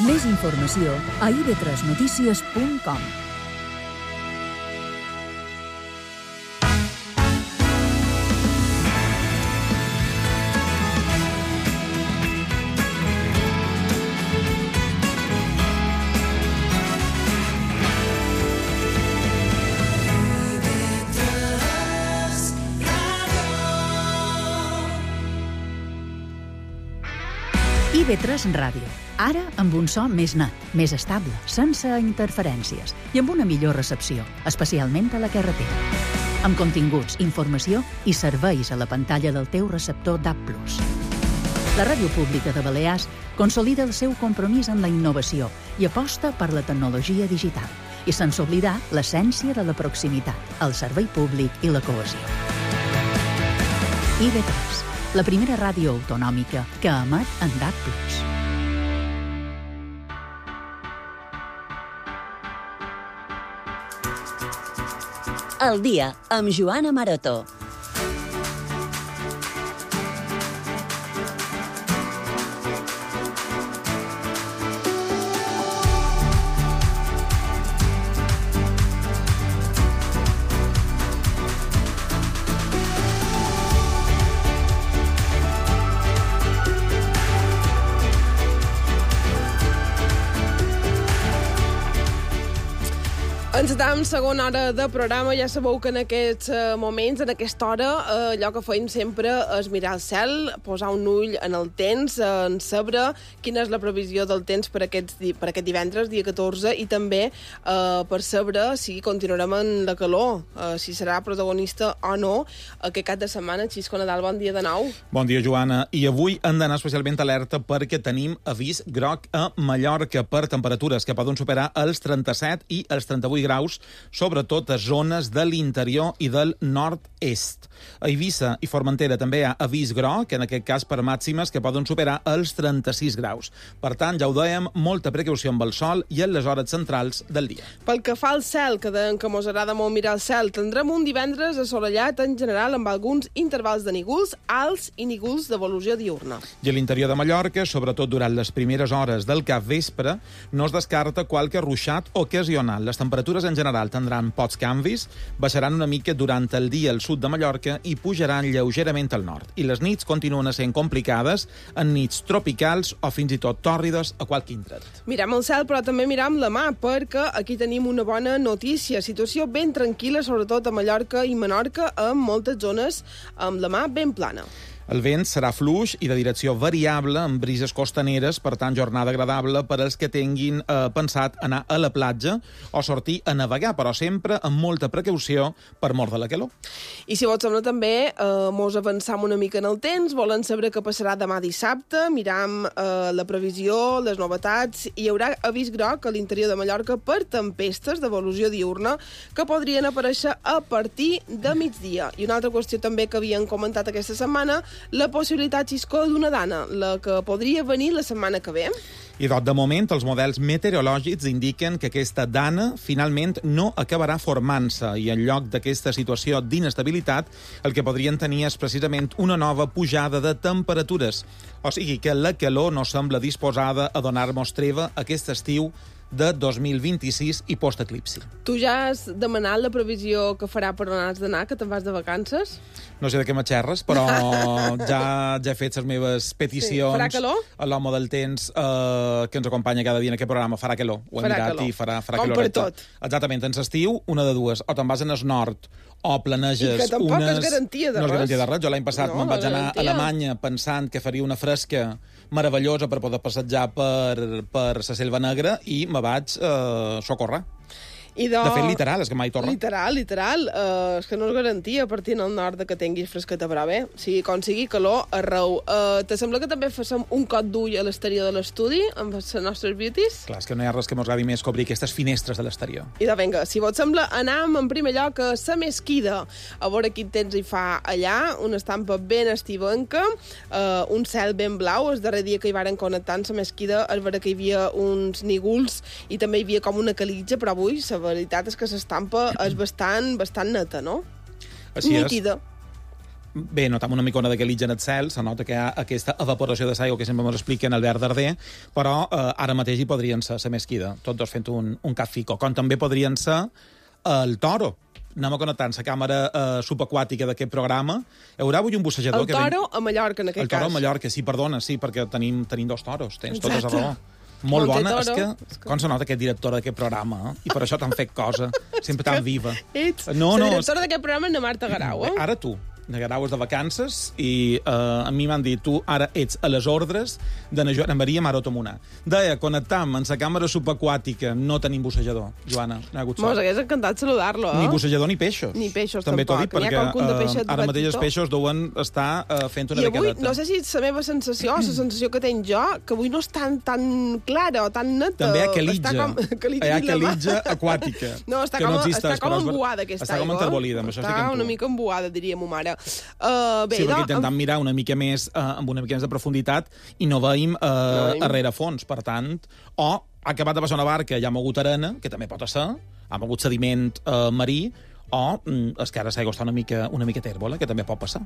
Més informació a ib3notícies.com. IB3 Ràdio. Ara amb un so més net, més estable, sense interferències i amb una millor recepció, especialment a la carretera. Amb continguts, informació i serveis a la pantalla del teu receptor DAB+. La Ràdio Pública de Balears consolida el seu compromís amb la innovació i aposta per la tecnologia digital, i sense oblidar l'essència de la proximitat, el servei públic i la cohesió. IB3, la primera ràdio autonòmica que emet en DAB+. El dia amb Joana Maroto. Encetam segona hora de programa. Ja sabeu que en aquests moments, en aquesta hora, allò que feim sempre és mirar el cel, posar un ull en el temps, en saber quina és la previsió del temps per aquest divendres, dia 14, i també per saber si continuarem en la calor, si serà protagonista o no aquest cap de setmana. Xisco Nadal, bon dia de nou. Bon dia, Joana. I avui hem d'anar especialment alerta perquè tenim avís groc a Mallorca per temperatures que poden superar els 37 i els 38 graus, sobretot a zones de l'interior i del nord-est. A Eivissa i Formentera també hi ha avís groc, en aquest cas per màximes que poden superar els 36 graus. Per tant, ja ho dèiem, molta precaució amb el sol i en les hores centrals del dia. Pel que fa al cel, que dèiem que mos agrada molt mirar el cel, tindrem un divendres assolellat en general amb alguns intervals de nígols alts i nígols d'evolució diurna. I a l'interior de Mallorca, sobretot durant les primeres hores del capvespre, no es descarta qualque ruixat ocasional. Les temperatures en general tindran pocs canvis, baixaran una mica durant el dia al sud de Mallorca i pujaran lleugerament al nord. I les nits continuen sent complicades, en nits tropicals o fins i tot tòrrides a qualque indret. Mirem el cel, però també mirem la mà, perquè aquí tenim una bona notícia. Situació ben tranquil·la, sobretot a Mallorca i Menorca, amb moltes zones amb la mà ben plana. El vent serà fluix i de direcció variable amb brises costaneres, per tant, jornada agradable per als que tinguin pensat anar a la platja o sortir a navegar, però sempre amb molta precaució per mort de la calor. I si vos sembla també, mos avançam una mica en el temps, volen saber què passarà demà dissabte, miram la previsió, les novetats, i hi haurà avís groc a l'interior de Mallorca per tempestes d'evolució diurna que podrien aparèixer a partir de migdia. I una altra qüestió també que havien comentat aquesta setmana, la possibilitat, Xisco, d'una dana, la que podria venir la setmana que ve. I de moment, els models meteorològics indiquen que aquesta dana finalment no acabarà formant-se i en lloc d'aquesta situació d'inestabilitat el que podrien tenir és precisament una nova pujada de temperatures. O sigui que la calor no sembla disposada a donar-nos treva aquest estiu de 2026 i post-eclipsi. Tu ja has demanat la previsió que farà per on has d'anar, que te'n vas de vacances? No sé de què m'aixerres, però ja he fet les meves peticions. Sí. Farà calor? A l'home del temps que ens acompanya cada dia en aquest programa. Farà calor. Ho hem mirat i farà calor. Com per tot. Exactament. En l'estiu, una de dues. O te'n vas en el nord o planeges unes... I que tampoc és garantia de res. No és garantia de res. Jo l'any passat me'n vaig anar a Alemanya pensant que faria una fresca meravellosa per poder passejar per la Selva Negra i me vaig socórrer. De fet, literal, és que mai torna. Literal. És que no és garantia partint al nord que tinguis fresqueta, però bé, sigui com sigui, calor arreu. Te sembla que també fem un cop d'ull a l'exterior de l'estudi amb les nostres beauties? Clar, és que no hi ha res que m'agradi més que obrir aquestes finestres de l'exterior. I vinga, si vos sembla, anem en primer lloc a la Mesquida, a veure quin temps hi fa allà, una estampa ben estivenca, un cel ben blau. El darrer dia que hi varen connectar en la Mesquida es veure que hi havia uns nígols i també hi havia com una calitja, però avui la veritat és que l'estampa és bastant neta, no? Així nítida. bé, notam una micona de calitja en el cel, se nota que hi ha aquesta evaporació de l'aigua que sempre ens expliquen el verd darder, però ara mateix hi podrien ser la mesquida, tots dos fent un cafico, com també podrien ser el toro. Anem a connectar la càmera subaquàtica d'aquest programa. Hi haurà avui un bussejador... El toro a Mallorca, en aquest cas. El toro a Mallorca, sí, perdona, sí, perquè tenim dos toros, tens tota la raó. Molt bona, és que com se nota aquest director d'aquest programa, i per això t'han fet cosa, sempre tan viva. Ets la directora d'aquest programa, na Marta Garau, Ara tu. De Garau és de vacances i a mi m'han dit, tu ara ets a les ordres de na Joana Maria Maroto Munar. Deia, connectam en la càmera subaquàtica, no tenim bussejador, Joana, no hi ha hagut sort. Mos hagués encantat saludar-lo, Ni bussejador ni peixos. Ni peixos, també tampoc. També t'ho dic, perquè ara mateix els peixos deuen estar fent una decadeta. I avui, no sé si la meva sensació, la sensació que tenc jo, que avui no és tan clara o tan neta. També hi ha calitja aquàtica. No, està com embuada aquesta aigua. Està com enterbolida, amb això sí que està una mica embuada, diria mo mare. Bé, sí, perquè intentem mirar una mica més amb una mica més de profunditat i no veiem a rerefons, per tant, o ha acabat de passar una barca i ha mogut arena, que també pot ser, ha mogut sediment marí, o és que ara l'aigua està una mica tèrbola, que també pot passar.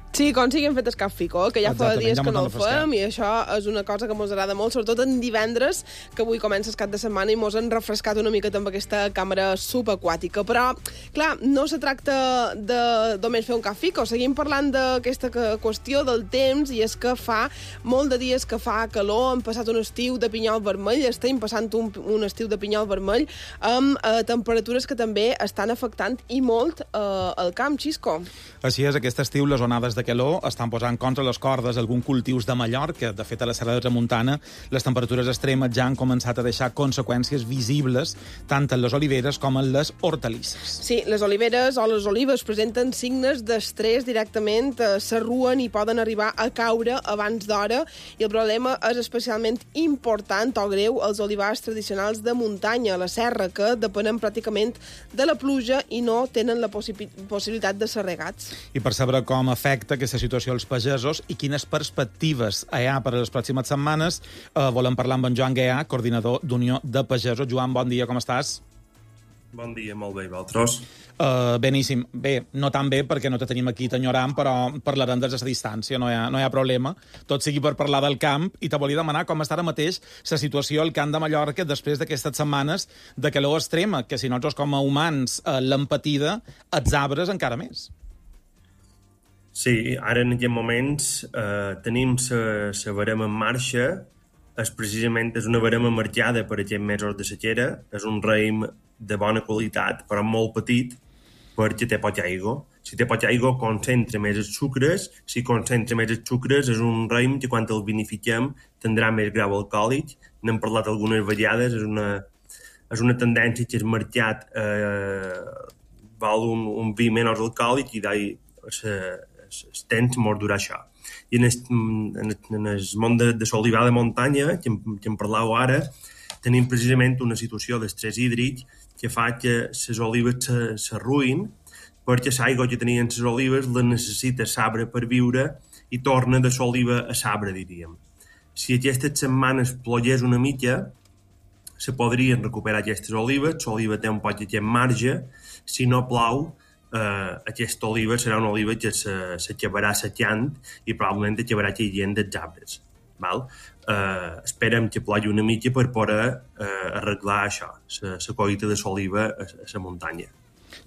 Sí, com si hem fet escafico, que ja fa dies que no el fem, i això és una cosa que ens agrada molt, sobretot en divendres, que avui comença el cap de setmana i ens han refrescat una mica amb aquesta càmera subaquàtica. Però, clar, no se tracta de només fer un cafico, seguim parlant d'aquesta qüestió del temps, i és que fa molt de dies que fa calor, hem passat un estiu de pinyol vermell, estem passant un estiu de pinyol vermell, amb temperatures que també estan afectant i molt el camp, Xisco. Així és, aquest estiu les onades de calor estan posant contra les cordes alguns cultius de Mallorca. De fet, a la Serra de Tramuntana, les temperatures extremes ja han començat a deixar conseqüències visibles tant en les oliveres com en les hortalisses. Sí, les oliveres o les olives presenten signes d'estrès directament, s'arruen i poden arribar a caure abans d'hora, i el problema és especialment important o greu als olivars tradicionals de muntanya, a la serra, que depenen pràcticament de la pluja i no tenen la possibilitat de ser regats. I per saber com afecta aquesta situació als pagesos i quines perspectives hi ha per a les pròximes setmanes, volem parlar amb en Joan Guià, coordinador d'Unió de Pagesos. Joan, bon dia, com estàs? Bon dia, molt bé, vosaltres? Beníssim. Bé, no tan bé perquè no te tenim aquí t'enyorant, però parlarem des de la distància, no hi ha problema. Tot sigui per parlar del camp, i te volia demanar com està ara mateix la situació al Camp de Mallorca després d'aquestes setmanes de calor extrema, que si nosaltres com a humans l'hem patida, els arbres encara més. Sí, ara en aquests moments tenim la barema en marxa. Precisament és una barema marcada per aquests mesos de sequera. És un raïm de bona qualitat, però molt petit, perquè té poca aigua. Si té poca aigua, concentra més els sucres. Si concentra més els sucres, és un raïm que quan el vinifiquem tindrà més grau alcohòlic. N'hem parlat algunes vegades. És una tendència que és marcat val un vi menys alcohòlic i el temps mos durà això. I en el món de l'olivar de muntanya, que en parlàveu ara, tenim precisament una situació d'estrès hídric que fa que les olives s'arruïn, perquè l'aigua que tenien les olives la necessita l'arbre per viure i torna de l'oliva a l'arbre, diríem. Si aquestes setmanes plogués una mica, se podrien recuperar aquestes olives, l'oliva té un poc aquest marge. Si no plou, aquesta oliva serà una oliva que s'acabarà secant i probablement acabarà caient dels arbres. Esperem que plogui una mica per poder arreglar això, la collita de l'oliva a la muntanya.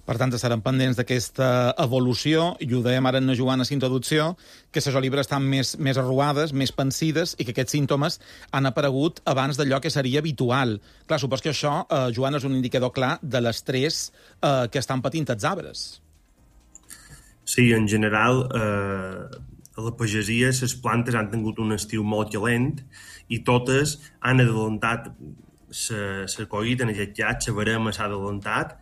Per tant, estarem pendents d'aquesta evolució, i ho dèiem ara en la Joana a la introducció, que les olives estan més arruades, més pensides, i que aquests símptomes han aparegut abans d'allò que seria habitual. Clar, supos que això, Joana, és un indicador clar de l'estrès que estan patint els arbres. Sí, en general, a la pagesia les plantes han tingut un estiu molt calent i totes han adelantat la collita, en aquest cas, la barema s'ha adelantat.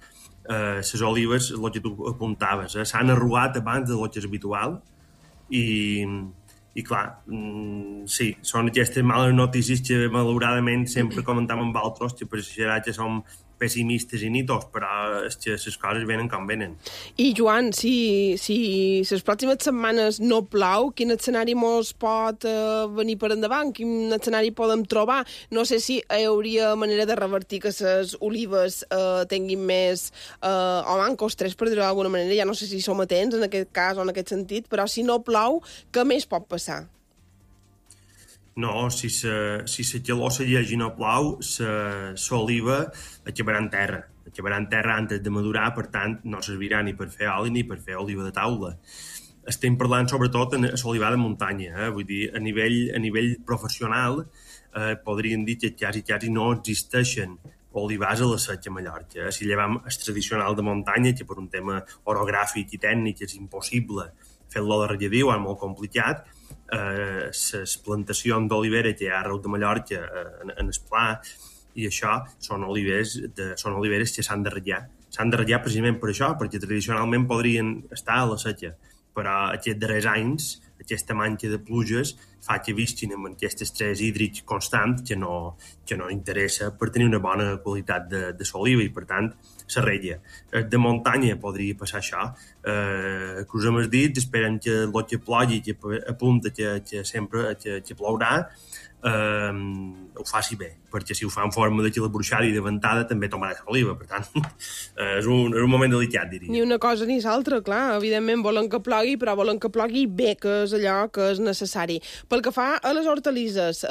Les olives, el que tu apuntaves, s'han arrugat abans del que és habitual i clar, sí, són aquestes males notícies que malauradament sempre comentam amb altres, que pareixerà que som pessimistes i nitos, però és que les coses venen com venen. I, Joan, si les pròximes setmanes no plou, quin escenari mos pot venir per endavant? Quin escenari podem trobar? No sé si hi hauria manera de revertir que les olives tinguin més o mancos tres, per dir-ho d'alguna manera. Ja no sé si som atents en aquest cas o en aquest sentit, però si no plou, què més pot passar? No, si la calor segueix i no plou, l'oliva acabarà en terra. Acabarà en terra antes de madurar, per tant, no servirà ni per fer oli ni per fer oliva de taula. Estem parlant sobretot en l'olivar de muntanya. Vull dir, a nivell professional podríem dir que quasi no existeixen olivars a la Setge a Mallorca. Si llevam el tradicional de muntanya, que per un tema orogràfic i tècnic és impossible fer-lo de regadiu, és molt complicat, les plantacions d'olivera que hi ha arreu de Mallorca en el pla i això són oliveres que s'han de ratllar. S'han de ratllar precisament per això, perquè tradicionalment podrien estar a la Setge, però aquests darrers anys, aquesta manca de pluges fa que visquin amb aquest estrès hídric constant que no interessa per tenir una bona qualitat de l'oliva i, per tant, se ratlla. De muntanya podria passar això. Cruzem els dits, esperem que el que plogui, que apunta que sempre que plourà, ho faci bé, perquè si ho fa en forma de bruixada i de ventada també tomarà l'oliva, per tant és un moment delicat, diria. Ni una cosa ni l'altra, clar, evidentment volen que plogui, però volen que plogui bé, que és allò que és necessari. Pel que fa a les hortalisses,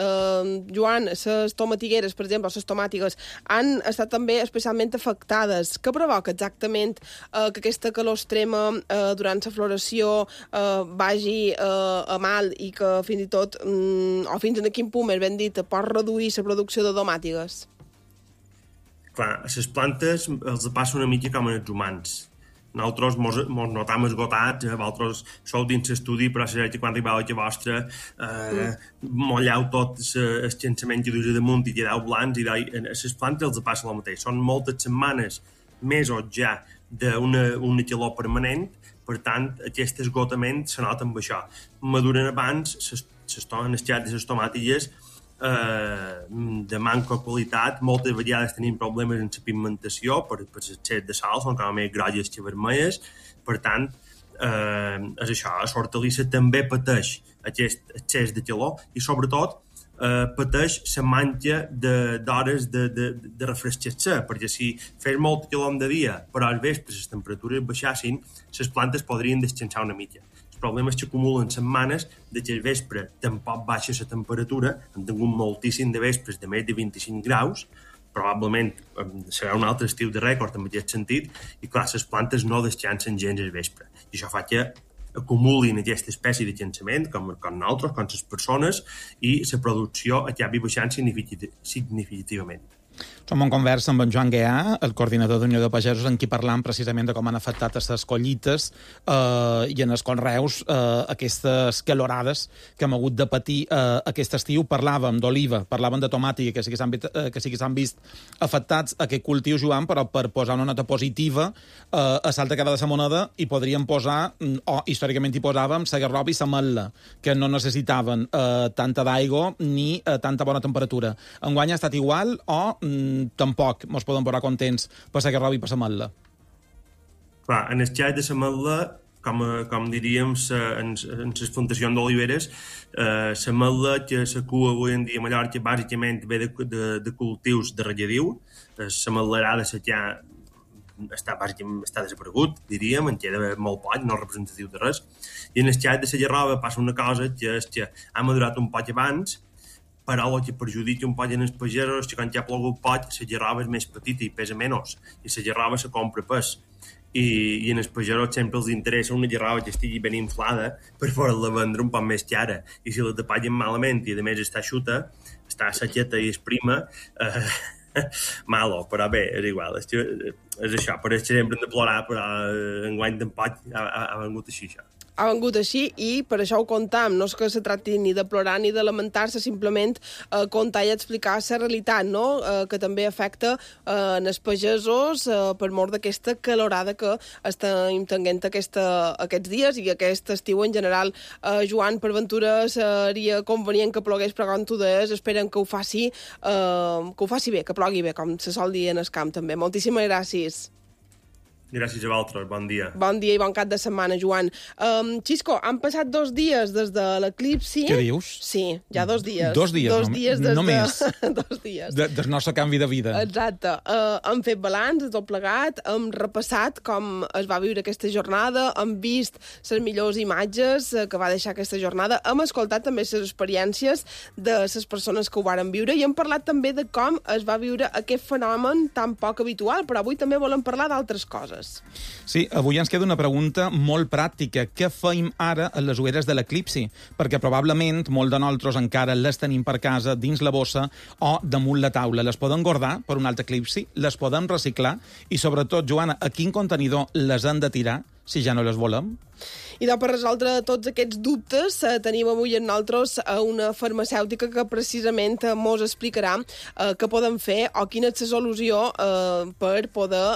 Joan, les tomatigueres, per exemple, les tomàtigues, han estat també especialment afectades. Què provoca exactament que aquesta calor extrema durant la floració vagi a mal i que fins i tot, o fins a quin punt, més ben dit, pot reduir la producció de tomàtigues? Clar, a les plantes els passa una mica com als humans. Nosaltres mos notam esgotats, vosaltres sou dins l'estudi, però serà que quan arribeu a vostra molleu tot el llançament que duis damunt i quedeu blancs, i a les plantes els passa el mateix. Són moltes setmanes, mesos ja, d'una calor permanent, per tant, aquest esgotament se nota amb això. Maduren abans les xats de les tomàtilles de manca qualitat, moltes vegades tenim problemes en la pigmentació per l'excés de sal, són com més grogues que vermelles, per tant, és això, l'hortalissa també pateix aquest excés de calor i sobretot pateix la manca d'hores de refrescar-se, perquè si fes molt calor de dia, però al vespre les temperatures baixassin, les plantes podrien descansar una mica. El problema és que acumulen setmanes de que al vespre tampoc baixa la temperatura, hem tingut moltíssim de vespres de més de 25 graus, probablement serà un altre estiu de rècord en aquest sentit, i clar, les plantes no descansen gens al vespre. I això fa que acumulin aquesta espècie de llançament, com nosaltres, com les persones, i la producció acabi baixant significativament. Som en conversa amb en Joan Guià, el coordinador d'Unió de Pagesos, en qui parlam precisament de com han afectat aquestes collites i en els conreus aquestes calorades que hem hagut de patir aquest estiu. Parlàvem d'oliva, parlàvem de tomàtica, que sí que s'han vist afectats aquest cultiu, Joan, però per posar una nota positiva a l'altra cara de la moneda hi podríem posar, o històricament hi posàvem, la garrova i la metla, que no necessitaven tanta d'aigua ni tanta bona temperatura. Enguany ha estat igual o tampoc mos podem posar contents per la garrova i per la metla? Clar, en el cas de la metla, com diríem en les plantacions d'oliveres, la metla que s'acua avui en dia a Mallorca bàsicament ve de cultius de regadiu. La metlerada ja està desaparegut, diríem, en queda molt poc, no representatiu de res. I en el cas de la garrova passa una cosa, que és que ha madurat un poc abans, però el que perjudica un poc en els pagesos és que quan ja ha plogut poc, la garrova és més petita i pesa menys, i la garrova se compra pes. I en els pagesos sempre els interessa una garrova que estigui ben inflada per poder-la vendre un poc més cara. I si la tapallen malament i a més està xuta, està sequeta i és prima, malo, però bé, és igual. És això, per això sempre hem de plorar, però enguany tampoc ha vengut així, això. ha vengut així i per això ho contam. No és que se tracti ni de plorar ni de lamentar-se, simplement contar i explicar la realitat, no? Que també afecta els pagesos per mort d'aquesta calorada que estem tenint aquests dies i aquest estiu en general. Joan, per ventura seria convenient que plogués, però com tu deies, esperen que ho faci bé, que plogui bé, com se sol dir en el camp també. Moltíssimes gràcies. Gràcies a vosaltres, bon dia. Bon dia i bon cap de setmana, Joan. Xisco, han passat 2 dies des de l'eclipsi. Què dius? Sí, ja 2 dies. 2 dies, 2 dies des només. 2 dies. Del nostre canvi de vida. Exacte. Hem fet balanç de tot plegat, hem repassat com es va viure aquesta jornada, hem vist les millors imatges que va deixar aquesta jornada, hem escoltat també les experiències de les persones que ho varen viure i hem parlat també de com es va viure aquest fenomen tan poc habitual, però avui també volem parlar d'altres coses. Sí, avui ens queda una pregunta molt pràctica. Què feim ara a les ulleres de l'eclipsi? Perquè probablement molt de nosaltres encara les tenim per casa, dins la bossa o damunt la taula. Les podem guardar per un altre eclipsi? Les podem reciclar? I sobretot, Joana, a quin contenidor les han de tirar si ja no les volem? I per resoldre tots aquests dubtes tenim avui amb nosaltres una farmacèutica que precisament mos explicarà què podem fer o quina és la solució per poder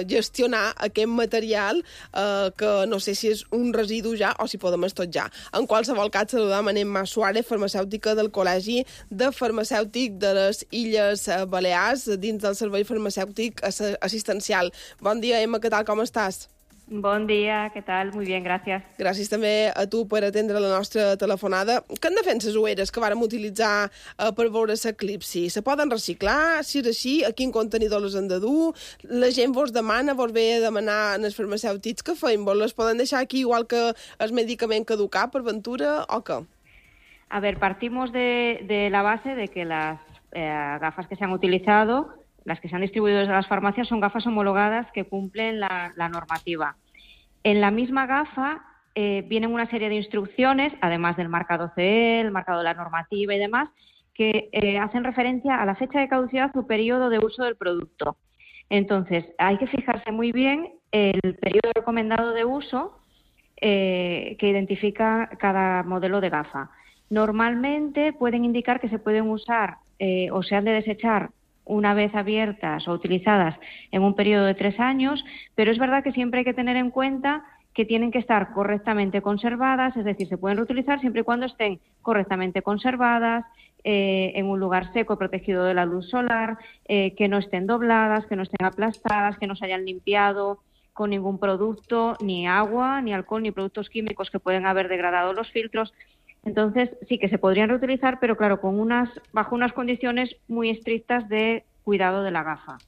gestionar aquest material que no sé si és un residu ja o si podem estotjar. En qualsevol cas, saludam a Emma Suárez, farmacèutica del Col·legi de Farmacèutic de les Illes Balears, dins del Servei Farmacèutic Assistencial. Bon dia, Emma, què tal, com estàs? Bon dia, què tal? Muy bien, gràcies. Gràcies també a tu per atendre la nostra telefonada. Què han de fer les ulleres que vàrem utilitzar per veure l'eclipsi? Se poden reciclar? Si és així, a quin contenidor les han de dur? La gent vos demana, vos ve a demanar als farmacèutics que feim? Vos les poden deixar aquí igual que el medicament caducat per ventura o què? A ver, partimos de la base de que las gafas que se han utilizado, las que se han distribuido desde las farmacias, son gafas homologadas que cumplen la normativa. En la misma gafa vienen una serie de instrucciones, además del marcado CE, el marcado de la normativa y demás, que hacen referencia a la fecha de caducidad o periodo de uso del producto. Entonces, hay que fijarse muy bien el periodo recomendado de uso que identifica cada modelo de gafa. Normalmente pueden indicar que se pueden usar o se han de desechar una vez abiertas o utilizadas en un periodo de 3 años, pero es verdad que siempre hay que tener en cuenta que tienen que estar correctamente conservadas, es decir, se pueden reutilizar siempre y cuando estén correctamente conservadas, en un lugar seco, protegido de la luz solar, que no estén dobladas, que no estén aplastadas, que no se hayan limpiado con ningún producto, ni agua, ni alcohol, ni productos químicos que pueden haber degradado los filtros. Entonces, sí que se podrían reutilizar, pero claro, bajo unas condiciones muy estrictas de cuidado de la gafa.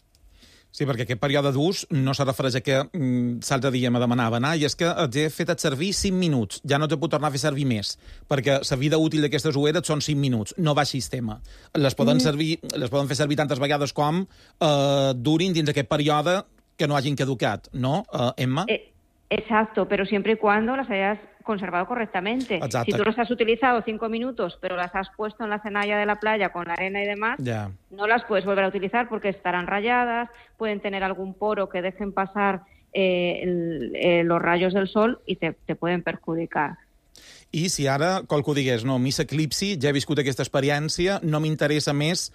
Sí, perquè aquest període d'ús no se refereix a que l'altre dia me demanaven i és que he fet servir 5 minuts, ja no te puc tornar a fer servir més, perquè la vida útil d'aquestes ulleres són 5 minuts, no va sistema. Les poden fer servir tantes vegades com durin dins aquest període que no hagin caducat, ¿no, Emma? Exacto, pero siempre y cuando las hayas conservado correctamente. Exacto. Si tú las has utilizado 5 minutos, pero las has puesto en la cenalla de la playa con la arena y demás, no las puedes volver a utilizar porque estarán rayadas, pueden tener algún poro que dejen pasar los rayos del sol y te pueden perjudicar. I si ara qualcú digués, no, a mi l'eclipsi, ja he viscut aquesta experiència, no m'interessa més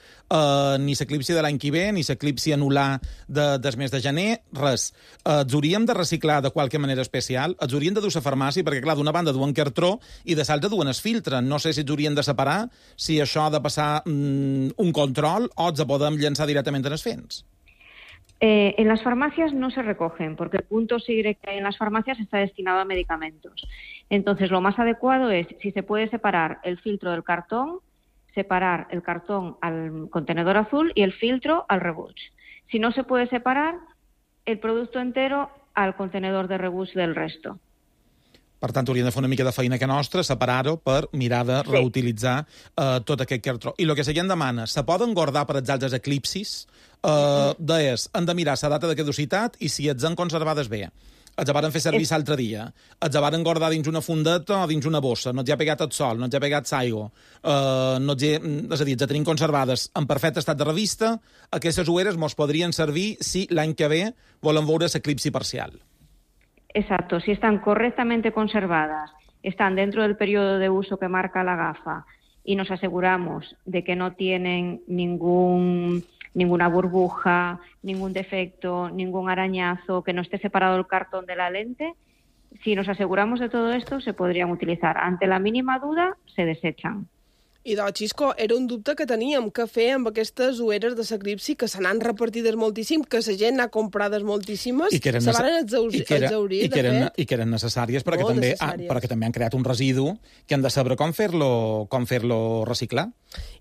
ni l'eclipsi de l'any que ve, ni l'eclipsi anular del mes de gener, res. Els hauríem de reciclar de qualque manera especial? Els hauríem de dur a la farmàcia? Perquè, clar, d'una banda duen cartró i de l'altra duen el filtre. No sé si els haurien de separar, si això ha de passar un control o els podem llançar directament en els fens. En las farmacias no se recogen porque el punto SIGRE que hay en las farmacias está destinado a medicamentos. Entonces, lo más adecuado es, si se puede separar el filtro del cartón, separar el cartón al contenedor azul y el filtro al rebuig. Si no se puede separar, el producto entero al contenedor de rebuig del resto. Per tant, hauríem de fer una mica de feina que nostra, separar-ho per mirar de reutilitzar tot aquest cartró. I el que la gent demana, se poden guardar per als altres eclipsis? Deies, han de mirar la data de caducitat i si ets en conservades bé. Els van fer servir l'altre dia. Els van guardar dins una fundeta o dins una bossa. No els ha pegat el sol, no els ha pegat l'aigua. És a dir, els tenim conservades en perfecte estat de revista. Aquestes ulleres mos podrien servir si l'any que ve volen veure l'eclipsi parcial. Exacto, si están correctamente conservadas, están dentro del periodo de uso que marca la gafa y nos aseguramos de que no tienen ninguna burbuja, ningún defecto, ningún arañazo, que no esté separado el cartón de la lente, si nos aseguramos de todo esto, se podrían utilizar. Ante la mínima duda, se desechan. I doncs, Xisco, era un dubte que teníem, què fer amb aquestes ulleres de l'eclipsi que se n'han repartides moltíssim, que la gent n'ha comprades moltíssimes, se van exaurir, de fet. I que eren necessàries perquè també han creat un residu que han de saber com fer-lo reciclar.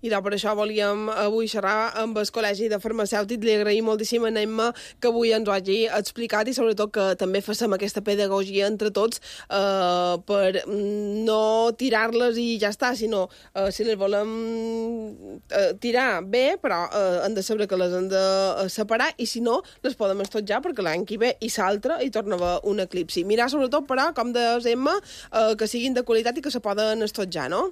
I doncs per això volíem avui xerrar amb el Col·legi de Farmacèutics. Li agraïm moltíssim a Emma que avui ens ho hagi explicat i sobretot que també facem aquesta pedagogia entre tots per no tirar-les i ja està, sinó si les volem tirar bé, però hem de saber que les hem de separar i si no, les podem estotjar perquè l'any que ve i l'altre hi torna a haver un eclipsi. Mirar sobretot, però, com deies, Emma, que siguin de qualitat i que se poden estotjar, no?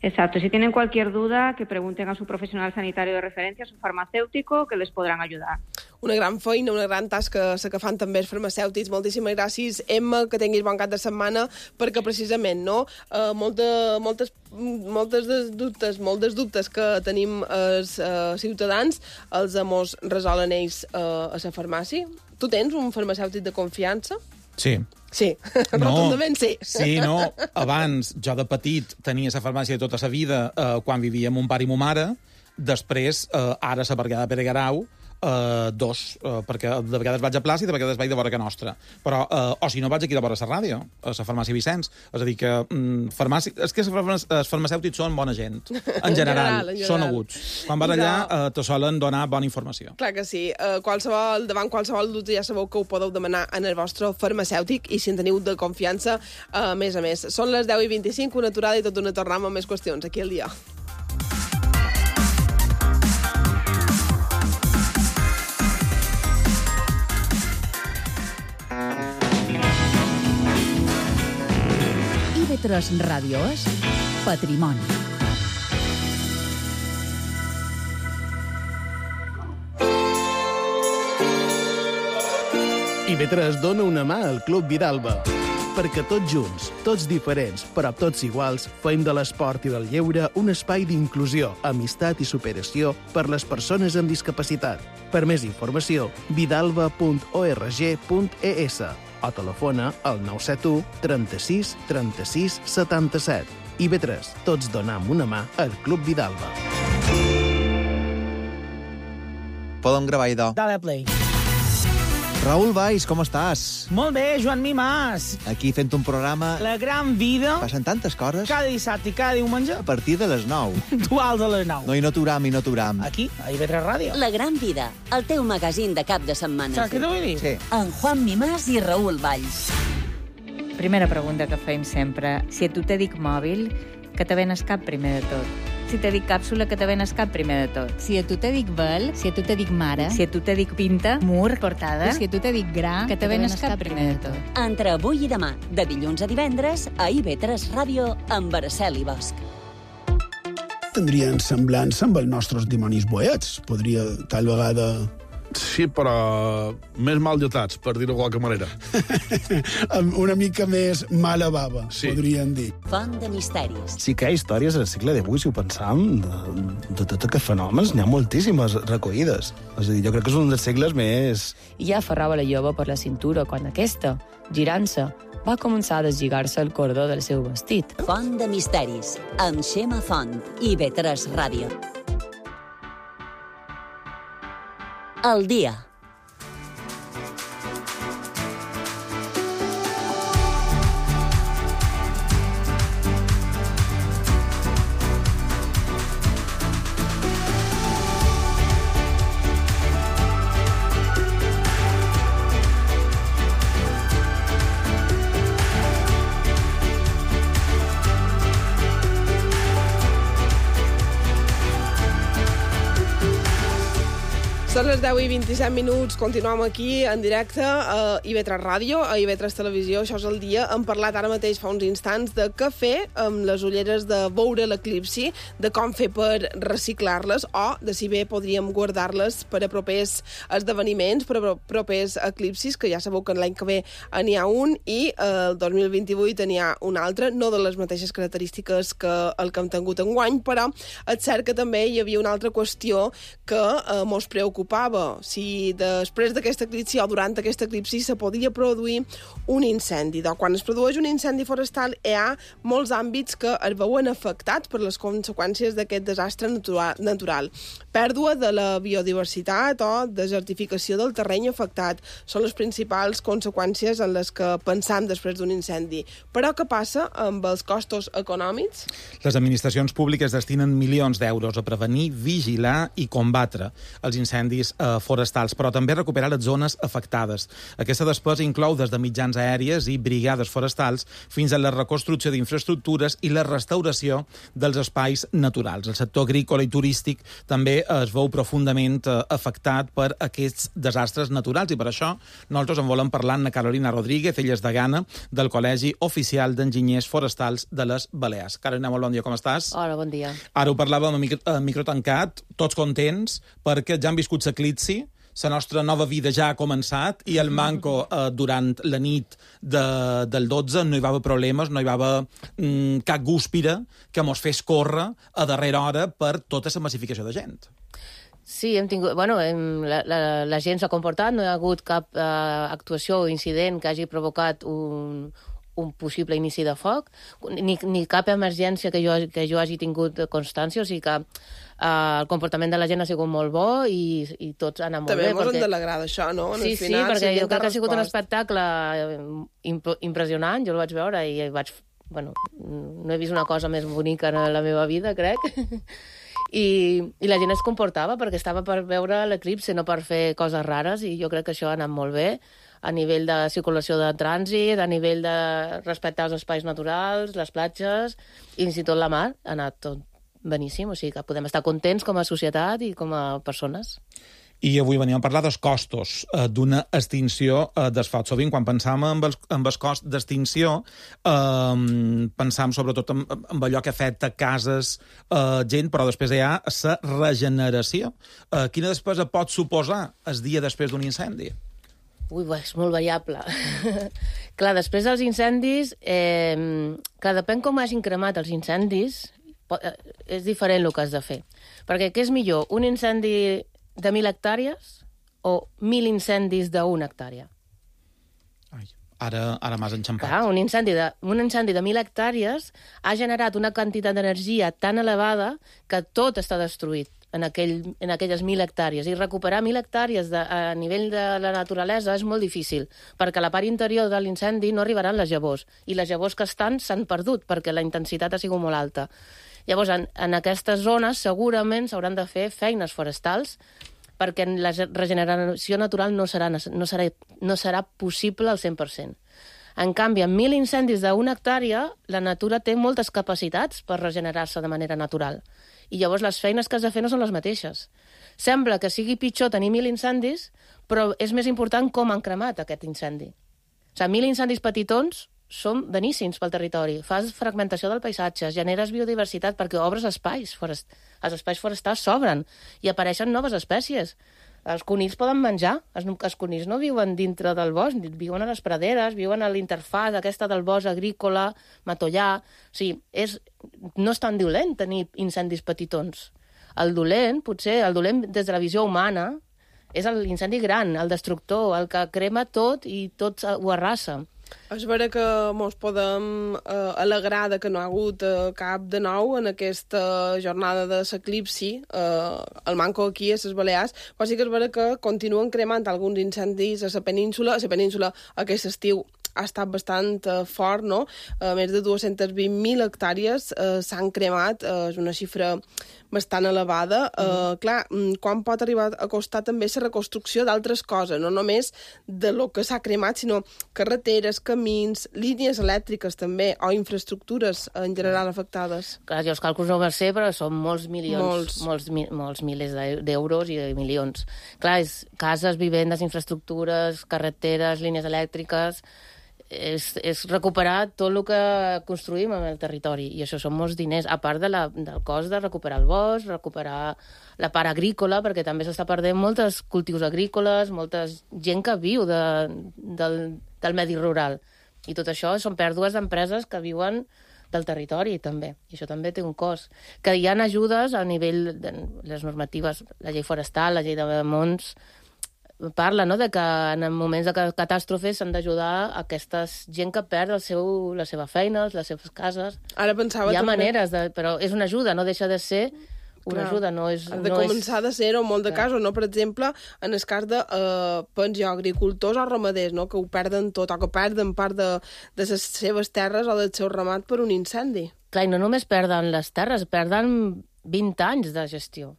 Exacto. Si tienen cualquier duda, que pregunten a su profesional sanitario de referencia, a su farmacéutico, que les podran ayudar. Una gran feina, una gran tasca que fan també els farmacèutics. Moltíssimes gràcies, Emma, que tinguis bon cap de setmana, perquè precisament, no, molts dels dubtes que tenim els ciutadans els mos resolen ells a la farmàcia. Tu tens un farmacèutic de confiança? Sí. Sí, rotundament sí. Sí, no. Abans, jo de petit tenia la farmàcia de tota la vida quan vivia amb mon pare i mon mare. Després, ara a la Bergueda de Pere Guerau, perquè de vegades vaig a plaça i de vegades vaig de vora que nostra. Però, o si no, vaig aquí de vora la ràdio, a la farmàcia Vicenç. És a dir, que és que els farmacèutics són bona gent. En general, són aguts. Quan vas allà, te solen donar bona informació. Clar que sí. Davant qualsevol dubte ja sabeu que ho podeu demanar en el vostre farmacèutic i si en teniu de confiança, a més. Són les 10:25, una aturada i tot una tornada amb més qüestions aquí al dia. IB3 Ràdio és Patrimoni. IB3 dona una mà al Club Vidalba. Perquè tots junts, tots diferents, però tots iguals, fem de l'esport i del lleure un espai d'inclusió, amistat i superació per les persones amb discapacitat. Per més informació, vidalba.org.es o telefona al 971 36 36 77. IB3, tots donam una mà al Club Vidalba. Podem gravar, idò. Dale play. Raül Valls, com estàs? Molt bé, Joan Mimàs. Aquí fent un programa... La gran vida. Passen tantes coses. Cada dissabte i cada diumenge. A partir de les 9. Duals a les 9. No, i no t'uram. Aquí, a IB3 Ràdio. La gran vida, el teu magazín de cap de setmana. Saps què t'ho vull dir? Sí. En Juan Mimàs i Raül Valls. Primera pregunta que fem sempre. Si a tu te dic mòbil, que te venes cap primer de tot. Si te dic càpsula, que te venes cap primer de tot. Si a tu te dic vel, si a tu te dic mare, si a tu te dic pinta, mur, portada, si a tu te dic gra, que te venes cap primer de tot. Entre avui i demà, de dilluns a divendres, a IB3 Ràdio, amb Araceli Bosch. Tindrien semblança amb els nostres dimonis boets. Podria, tal vegada... Sí, però més mal dotats, per dir-ho de qualque manera. Una mica més mala bava, sí. Podríem dir. Font de misteris. Sí que hi ha històries al segle XVIII, si ho pensam, de tots aquests fenòmens, n'hi ha moltíssimes recollides. És a dir, jo crec que és un dels segles més... I ja aferrava la jove per la cintura quan aquesta, girant-se, va començar a deslligar-se el cordó del seu vestit. Font de misteris, amb Xema Font, IB3 Ràdio. El dia. Són les 10:27, continuem aquí en directe a IB3 Ràdio, a IB3 Televisió. Això és el dia. Hem parlat ara mateix fa uns instants de què fer amb les ulleres de veure l'eclipsi, de com fer per reciclar-les o de si bé podríem guardar-les per a propers esdeveniments, per a propers eclipsis, que ja sabeu que l'any que ve n'hi ha un i el 2028 n'hi ha un altre, no de les mateixes característiques que el que hem tingut enguany, però és cert que també hi havia una altra qüestió que mos preocupava, si després d'aquesta eclipsi o durant aquesta eclipsi se podia produir un incendi. Quan es produeix un incendi forestal hi ha molts àmbits que es veuen afectats per les conseqüències d'aquest desastre natural. Pèrdua de la biodiversitat o desertificació del terreny afectat són les principals conseqüències en les que pensam després d'un incendi. Però què passa amb els costos econòmics? Les administracions públiques destinen milions d'euros a prevenir, vigilar i combatre els incendis forestals, però també recuperar les zones afectades. Aquesta despesa inclou des de mitjans aèries i brigades forestals fins a la reconstrucció d'infraestructures i la restauració dels espais naturals. El sector agrícola i turístic també es veu profundament afectat per aquests desastres naturals i per això nosaltres en volem parlar amb Carolina Rodríguez, ella és degana del Col·legi Oficial d'Enginyers Forestals de les Balears. Carolina, molt bon dia, com estàs? Hola, bon dia. Ara ho parlàvem a micro tancat, tots contents, perquè ja han viscut l'eclipsi, la nostra nova vida ja ha començat i el manco durant la nit del 12 no hi va haver problemes, no hi va haver cap gúspira que mos fes córrer a darrera hora per tota la massificació de gent. Sí, hem tingut... Bueno, la gent s'ha comportat, no hi ha hagut cap actuació o incident que hagi provocat un possible inici de foc, ni cap emergència que jo hagi tingut constància, o sigui que el comportament de la gent ha sigut molt bo i tots han anat molt bé. També ens hem d'alegrar d'això, no? Sí, perquè jo crec que ha sigut un espectacle impressionant, jo el vaig veure i vaig... Bueno, no he vist una cosa més bonica en la meva vida, crec. I la gent es comportava perquè estava per veure l'eclipsi, no per fer coses rares, i jo crec que això ha anat molt bé a nivell de circulació de trànsit, a nivell de respectar els espais naturals, les platges, i fins i tot la mar, ha anat tot beníssim, o sigui que podem estar contents com a societat i com a persones. I avui veníem a parlar dels costos d'una extinció dels focs. Sovint, quan pensam en el cost d'extinció, pensam sobretot en allò que afecta cases, gent, però després hi ha la regeneració. Quina despesa pot suposar el dia després d'un incendi? Ui, és molt variable. Clar, després dels incendis, depèn com hagin cremat els incendis, és diferent el que has de fer. Perquè què és millor, un incendi de 1.000 hectàrees o 1.000 incendis d'1 hectàrea? Ara m'has enxampat. Clar, un incendi de 1.000 hectàrees ha generat una quantitat d'energia tan elevada que tot està destruït en aquelles 1.000 hectàrees. I recuperar 1.000 hectàrees a nivell de la naturalesa és molt difícil, perquè a la part interior de l'incendi no arribaran les llavors, i les llavors que s'han perdut perquè la intensitat ha sigut molt alta. Llavors, en aquestes zones segurament s'hauran de fer feines forestals perquè la regeneració natural no serà possible al 100%. En canvi, en 1.000 incendis d'1 hectàrea, la natura té moltes capacitats per regenerar-se de manera natural. I llavors les feines que has de fer no són les mateixes. Sembla que sigui pitjor tenir 1.000 incendis, però és més important com han cremat aquest incendi. O sigui, 1.000 incendis petitons són beníssims pel territori. Fas fragmentació del paisatge, generes biodiversitat perquè obres espais. Els espais forestals s'obren i apareixen noves espècies. Els conills poden menjar. Els conills no viuen dintre del bosc, viuen a les praderes, viuen a l'interfàs aquesta del bosc agrícola, matollà. O sigui, no és tan dolent tenir incendis petitons. El dolent des de la visió humana, és l'incendi gran, el destructor, el que crema tot i tot ho arrasa. És vera que ens podem alegrar que no ha hagut cap de nou en aquesta jornada de l'eclipsi, el manco aquí a les Balears, però sí que és vera que continuen cremant alguns incendis a la península aquest estiu ha estat bastant fort, no? Més de 220.000 hectàrees s'han cremat, és una xifra bastant elevada. Clar, quan pot arribar a costar també la reconstrucció d'altres coses, no només de lo que s'ha cremat, sinó carreteres, camins, línies elèctriques també, o infraestructures en general afectades. Clar, jo els càlculs no ho sé, però són molts milions, molts milers d'euros i de milions. Clar, és cases, vivendes, infraestructures, carreteres, línies elèctriques... És recuperar tot el que construïm en el territori, i això són molts diners, a part del cost de recuperar el bosc, recuperar la part agrícola, perquè també s'està perdent molts cultius agrícoles, molta gent que viu del medi rural, i tot això són pèrdues d'empreses que viuen del territori, també, i això també té un cost. Que hi ha ajudes a nivell de les normatives, la llei forestal, la llei de Monts, parla, no?, de que en moments de catàstrofes s'han d'ajudar aquesta gent que perd la seva feina, les seves cases. Ara pensava... Hi ha maneres, però és una ajuda, no deixa de ser una ajuda, no és... Ha de començar de ser-ho en molt de casos, no? Per exemple, en el cas de, penso, agricultors o ramaders, no?, que ho perden tot, o que perden part de les seves terres o del seu ramat per un incendi. Clar, i no només perden les terres, perden 20 anys de gestió,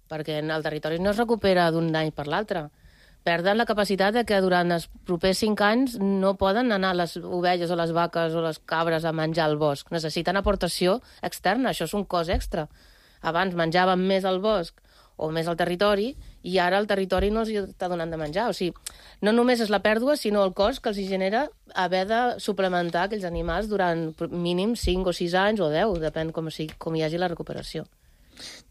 perquè el territori no es recupera d'un any per l'altre. Perden la capacitat de que durant els propers 5 anys no poden anar les ovelles o les vaques o les cabres a menjar al bosc. Necessiten aportació externa, això és un cost extra. Abans menjaven més al bosc o més al territori, i ara el territori no els està donant de menjar. O sigui, no només és la pèrdua, sinó el cost que els genera haver de suplementar aquells animals durant mínim 5 o 6 anys o 10, depèn com hi hagi la recuperació.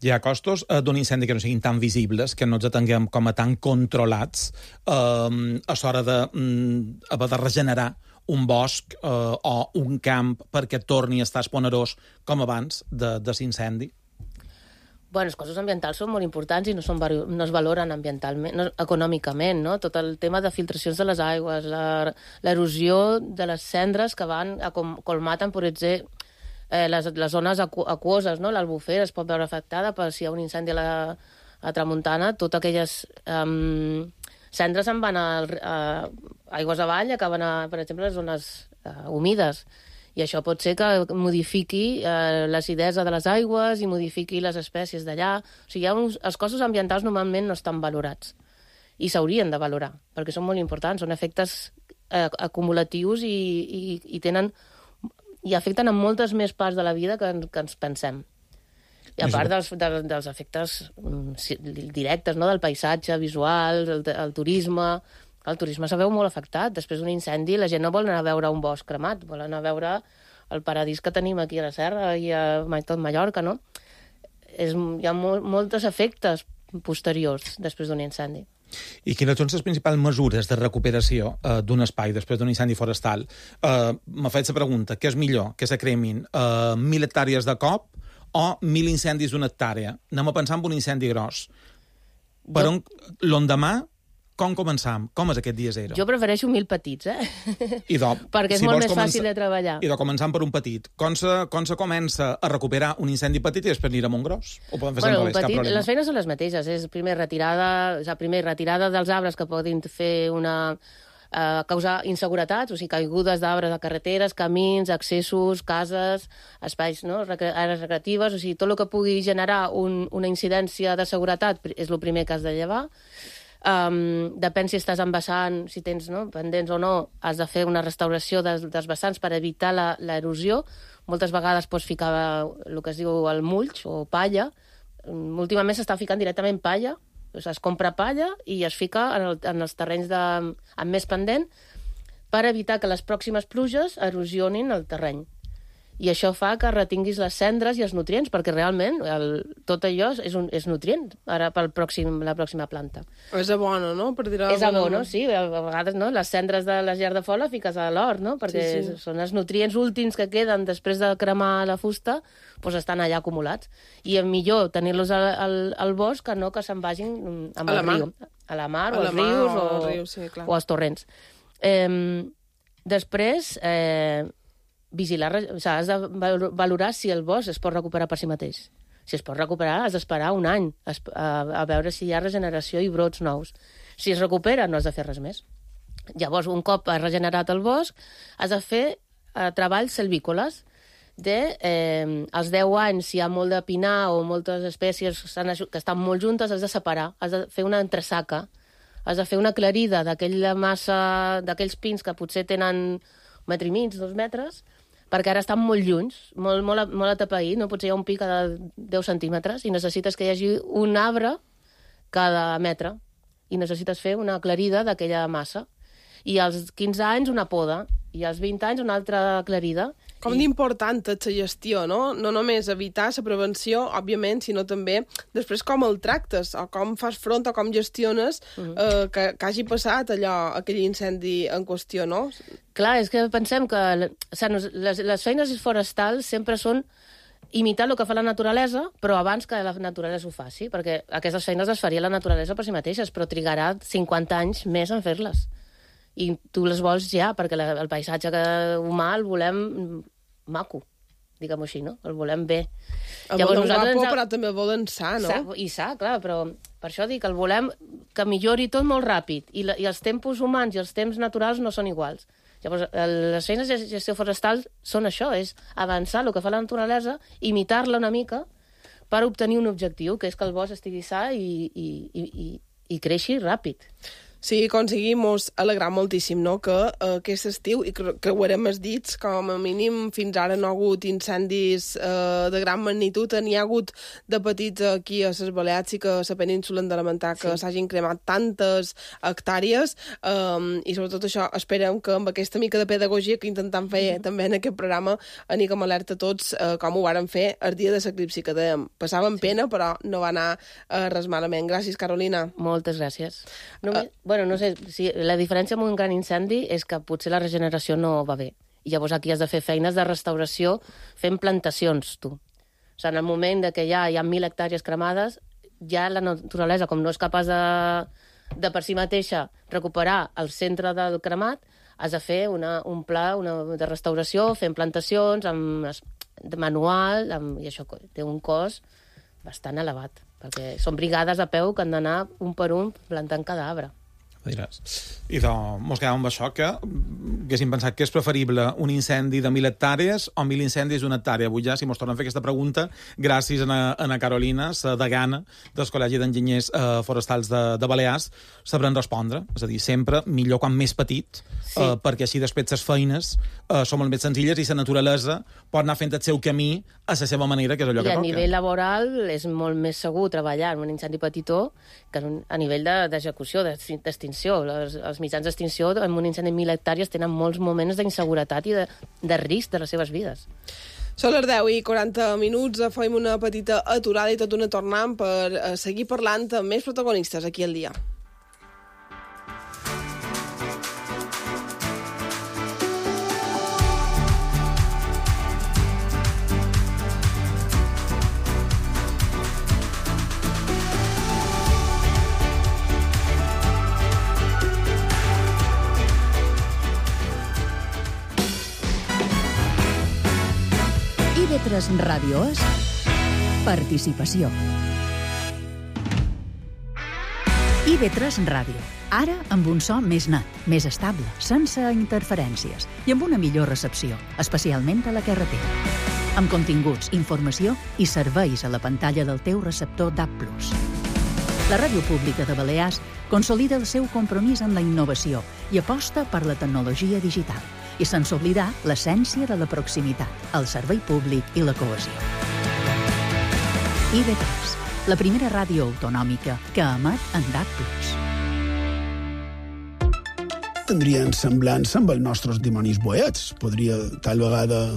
Hi ha costos d'un incendi que no siguin tan visibles, que no ens atenguem com a tan controlats a l'hora d'haver de regenerar un bosc o un camp perquè torni a estar esponerós com abans de l'incendi? Bueno, els costos ambientals són molt importants i no es valoren ambientalment, econòmicament, no? Tot el tema de filtracions de les aigües, l'erosió de les cendres que van colmaten, per exemple, les zones aquoses, no? L'Albufera es pot veure afectada per si hi ha un incendi a tramuntana, totes aquelles cendres se'n van a aigües avall, acaben per exemple, les zones humides. I això pot ser que modifiqui l'acidesa de les aigües i modifiqui les espècies d'allà. O sigui, els costos ambientals normalment no estan valorats i s'haurien de valorar, perquè són molt importants, són efectes acumulatius i tenen... i afecten a moltes més parts de la vida que ens pensem. I a part dels efectes directes, no?, del paisatge visual, el turisme... El turisme se veu molt afectat. Després d'un incendi la gent no vol anar a veure un bosc cremat, vol anar a veure el paradís que tenim aquí a la serra i a tot Mallorca, no? Hi ha molts efectes posteriors després d'un incendi. I quines són les principals mesures de recuperació d'un espai després d'un incendi forestal? M'ha fet la pregunta, què és millor? Que se cremin 1.000 hectàrees de cop o 1.000 incendis d'una hectàrea? Anem a pensar en un incendi gros. Per on l'endemà, com començam? Com és aquest dia zero? Jo prefereixo 1.000 petits, perquè és molt més fàcil de treballar. I començam per un petit. Com se comença a recuperar un incendi petit i després anirem a un gros? O podem fer sempre cap problema? Les feines són les mateixes. És primer retirada dels arbres que poden fer causar inseguretats, o sigui, caigudes d'arbres de carreteres, camins, accessos, cases, espais, no?, àrees recreatives, o sigui, tot el que pugui generar una incidència de seguretat és el primer que has de llevar. Depèn si estàs embassant, si tens pendents o no, has de fer una restauració dels vessants per evitar l'erosió. Moltes vegades pots ficar el que es diu el mulch o palla. Últimament s'està ficant directament palla, es compra palla i es fica en els terrenys amb més pendent per evitar que les pròximes pluges erosionin el terreny. I això fa que retinguis les cendres i els nutrients, perquè realment tot allò és nutrient ara per la pròxima planta. És abono, no? És abono, sí. A vegades les cendres de la llar de fola fiques a l'hort, no? Perquè són els nutrients últims que queden després de cremar la fusta, doncs estan allà acumulats. I és millor tenir-los al bosc que no que se'n vagin amb el riu. A la mar, o als rius, o als torrents. Després... vigilar, has de valorar si el bosc es pot recuperar per si mateix. Si es pot recuperar, has d'esperar un any a veure si hi ha regeneració i brots nous. Si es recupera, no has de fer res més. Llavors, un cop has regenerat el bosc, has de fer treballs silvícoles. Als 10 anys, si hi ha molt de pinar o moltes espècies que estan molt juntes, has de separar, has de fer una entresaca, has de fer una aclarida d'aquella massa, d'aquells pins que potser tenen 1,5 metres, 2 metres, perquè ara estan molt junts, molt atapeït, no? Potser hi ha un pi cada 10 centímetres i necessites que hi hagi un arbre cada metre i necessites fer una aclarida d'aquella massa. I als 15 anys una poda, i als 20 anys una altra aclarida. Com d'important és la gestió, no? No només evitar la prevenció, òbviament, sinó també després com el tractes, o com fas front, o com gestiones que hagi passat aquell incendi en qüestió, no? Clar, és que pensem que les feines forestals sempre són imitar el que fa la naturalesa, però abans que la naturalesa ho faci, perquè aquestes feines les faria la naturalesa per si mateixes, però trigarà 50 anys més en fer-les. I tu les vols ja, perquè el paisatge humà el volem maco, diguem-ho així, no? El volem bé. El volem guapo, però també el volen sa, no? I sa, clar, però per això dic que el volem que millori tot molt ràpid, i els tempos humans i els temps naturals no són iguals. Llavors, les feines de gestió forestal són això, és avançar el que fa la naturalesa, imitar-la una mica per obtenir un objectiu, que és que el bosc estigui sa i creixi ràpid. Sí, aconseguim alegrar moltíssim, no?, que aquest estiu, i creuarem els dits, com a mínim fins ara no ha hagut incendis de gran magnitud, n'hi ha hagut de petits aquí a les Balears i que a la península hem de lamentar que s'hagin cremat tantes hectàrees, i sobretot això, esperem que amb aquesta mica de pedagogia que intentem fer també en aquest programa anem alerta tots, com ho vàrem fer el dia de l'eclipsi, que dèiem, passàvem pena, però no va anar res malament. Gràcies, Carolina. Moltes gràcies. Bueno, no sé, la diferència amb un gran incendi és que potser la regeneració no va bé. I llavors aquí has de fer feines de restauració fent plantacions, tu. O sigui, en el moment que ja hi ha 1.000 hectàrees cremades, ja la naturalesa, com no és capaç de per si mateixa recuperar el centre del cremat, has de fer un pla de restauració fent plantacions, de manual, i això té un cost bastant elevat, perquè són brigades a peu que han d'anar un per un plantant cada arbre. Diràs. I mos quedàvem amb això, que haguéssim pensat que és preferible un incendi de 1.000 hectàrees o 1.000 incendis d'una hectàrea. Avui ja, si mos tornen a fer aquesta pregunta, gràcies a Carolina, la degana del Col·legi d'Enginyers Forestals de Balears, sabran respondre. És a dir, sempre millor quan més petit, perquè així després les feines són molt més senzilles i la naturalesa pot anar fent el seu camí a la seva manera, que és allò que toca. I a nivell laboral és molt més segur treballar en un incendi petitó que a nivell d'execució, d'extinció. Els mitjans d'extinció en un incendi de 1.000 hectàrees tenen molts moments d'inseguretat i de risc de les seves vides. Són les 10:40, fem una petita aturada i tot una tornant per seguir parlant amb més protagonistes aquí al dia. IB3 Ràdio és participació. IB3 Ràdio. Ara amb un so més net, més estable, sense interferències i amb una millor recepció, especialment a la carretera. Amb continguts, informació i serveis a la pantalla del teu receptor DAB+. La Ràdio Pública de Balears consolida el seu compromís amb la innovació i aposta per la tecnologia digital, i sense oblidar l'essència de la proximitat, el servei públic i la cohesió. IB3, la primera ràdio autonòmica que emet en DAB+. Tindrien semblança amb els nostres dimonis boets. Podria, tal vegada...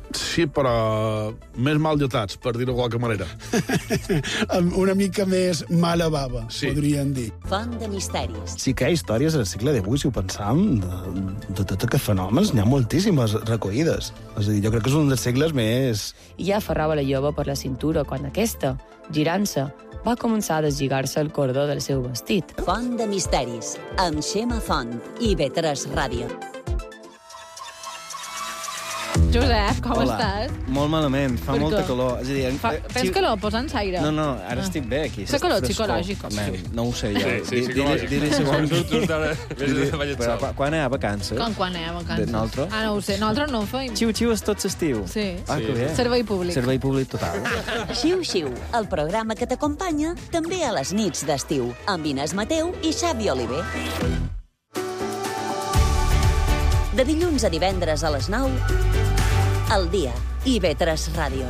Sí, però més mal dotats, per dir-ho de qualque manera. Amb una mica més mala bava, podríem dir. Font de misteris. Sí que hi ha històries al segle XVIII, si ho pensam, de tot aquests fenòmens, n'hi ha moltíssimes recollides. És a dir, jo crec que és un dels segles més... I ja aferrava la jove per la cintura quan aquesta, girant-se, va començar a deslligar-se el cordó del seu vestit. Font de misteris, amb Xema Font, IB3 Ràdio. Josep, com estàs? Molt malament, fa Per molta què? calor. És a dir, Tens calor, posa'ns aire. No, ara estic bé aquí. És calor psicològic. No ho sé jo. Sí, psicològic. Quan hi ha vacances? Quan hi ha vacances? Nosaltres? No ho sé, nosaltres no ho feim. Xiu-xiu és tot l'estiu. Sí. Que bé. Servei públic. Servei públic total. Xiu-xiu, el programa que t'acompanya també a les nits d'estiu, amb Inés Mateu i Xavi Oliver. De dilluns a divendres a les 9, al dia, IB3 Ràdio.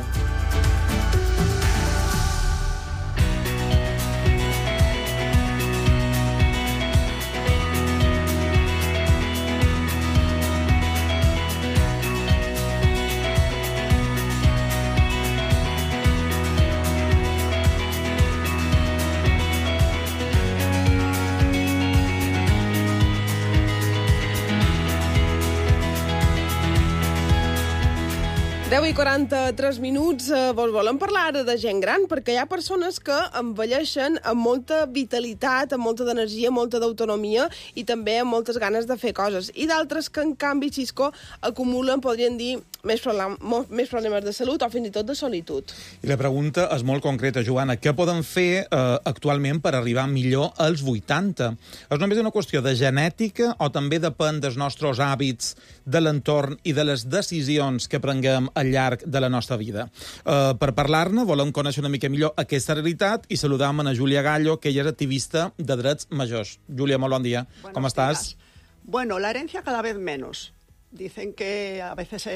I 43 minuts, volem parlar ara de gent gran, perquè hi ha persones que envelleixen amb molta vitalitat, amb molta d'energia, molta d'autonomia i també amb moltes ganes de fer coses. I d'altres que, en canvi, Xisco, acumulen, podríem dir, més problemes de salut o fins i tot de solitud. I la pregunta és molt concreta, Joana. Què poden fer actualment per arribar millor als 80? És només una qüestió de genètica o també depèn dels nostres hàbits, de l'entorn i de les decisions que prenguem al llarg de la nostra vida? Per parlar-ne, volem conèixer una mica millor aquesta realitat i saludam a Júlia Gallo, que ella és activista de drets majors. Júlia, molt bon dia. ¿Cómo estás? Bueno, la herencia cada vez menos. Dicen que a veces,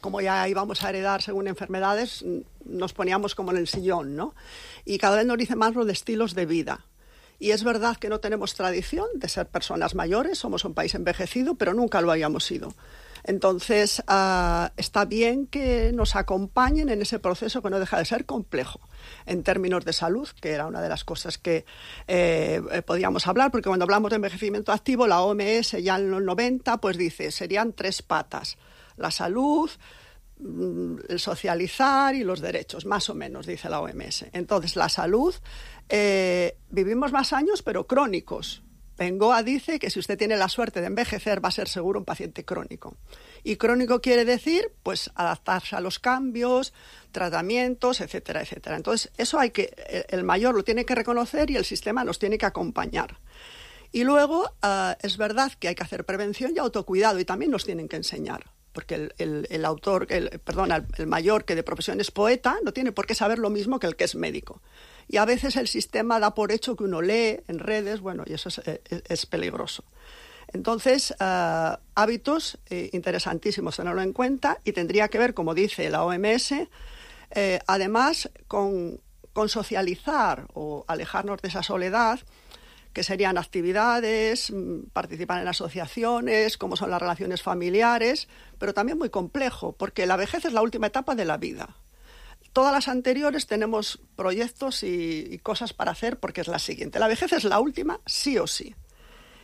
como ya íbamos a heredar según enfermedades, nos poníamos como en el sillón, ¿no? Y cada vez nos dicen más lo de estilos de vida. Y es verdad que no tenemos tradición de ser personas mayores, somos un país envejecido, pero nunca lo habíamos sido. Entonces, está bien que nos acompañen en ese proceso que no deja de ser complejo en términos de salud, que era una de las cosas que podíamos hablar, porque cuando hablamos de envejecimiento activo, la OMS ya en los 90 pues dice, serían 3 patas: la salud, el socializar y los derechos, más o menos, dice la OMS. Entonces, la salud, vivimos más años, pero crónicos. Bengoa dice que si usted tiene la suerte de envejecer va a ser seguro un paciente crónico. Y crónico quiere decir, pues, adaptarse a los cambios, tratamientos, etcétera, etcétera. Entonces, eso el mayor lo tiene que reconocer y el sistema nos tiene que acompañar. Y luego, es verdad que hay que hacer prevención y autocuidado y también nos tienen que enseñar. Porque el mayor que de profesión es poeta no tiene por qué saber lo mismo que el que es médico. Y a veces el sistema da por hecho que uno lee en redes, bueno, y eso es peligroso. Entonces, hábitos interesantísimos tenerlo en cuenta y tendría que ver, como dice la OMS, además con socializar o alejarnos de esa soledad, que serían actividades, participar en asociaciones, como son las relaciones familiares, pero también muy complejo, porque la vejez es la última etapa de la vida. Todas las anteriores tenemos proyectos y cosas para hacer porque es la siguiente. La vejez es la última, sí o sí.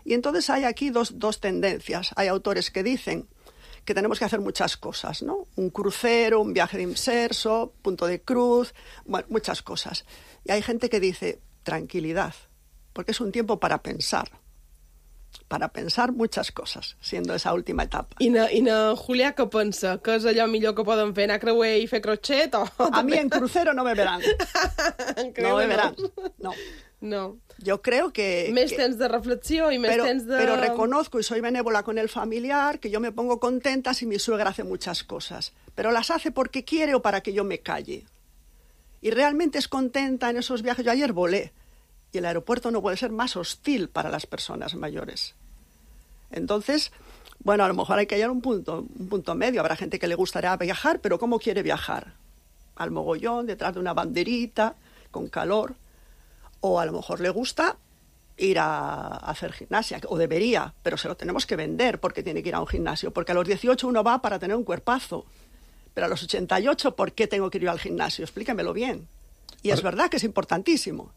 Y entonces hay aquí dos tendencias. Hay autores que dicen que tenemos que hacer muchas cosas, ¿no? Un crucero, un viaje de inserso, punto de cruz, bueno, muchas cosas. Y hay gente que dice tranquilidad, porque és un tiempo para pensar muchas cosas, siendo esa última etapa. I na Julià què pensa? Que és allò millor que poden fer? Anar a creuer i fer crochet? A mí en crucero no me verán. No me verán, no. Yo creo que... Més temps de reflexió y més temps de... Pero reconozco, y soy benévola con el familiar, que yo me pongo contenta si mi suegra hace muchas cosas, pero las hace porque quiere o para que yo me calle. Y realmente es contenta en esos viajes. Yo ayer volé, y el aeropuerto no puede ser más hostil para las personas mayores. Entonces, bueno, a lo mejor hay que hallar un punto medio. Habrá gente que le gustaría viajar, pero ¿cómo quiere viajar? Al mogollón, detrás de una banderita, con calor. O a lo mejor le gusta ir a hacer gimnasia, o debería, pero se lo tenemos que vender porque tiene que ir a un gimnasio. Porque a los 18 uno va para tener un cuerpazo. Pero a los 88, ¿por qué tengo que ir al gimnasio? Explíquemelo bien. Y es verdad que es importantísimo.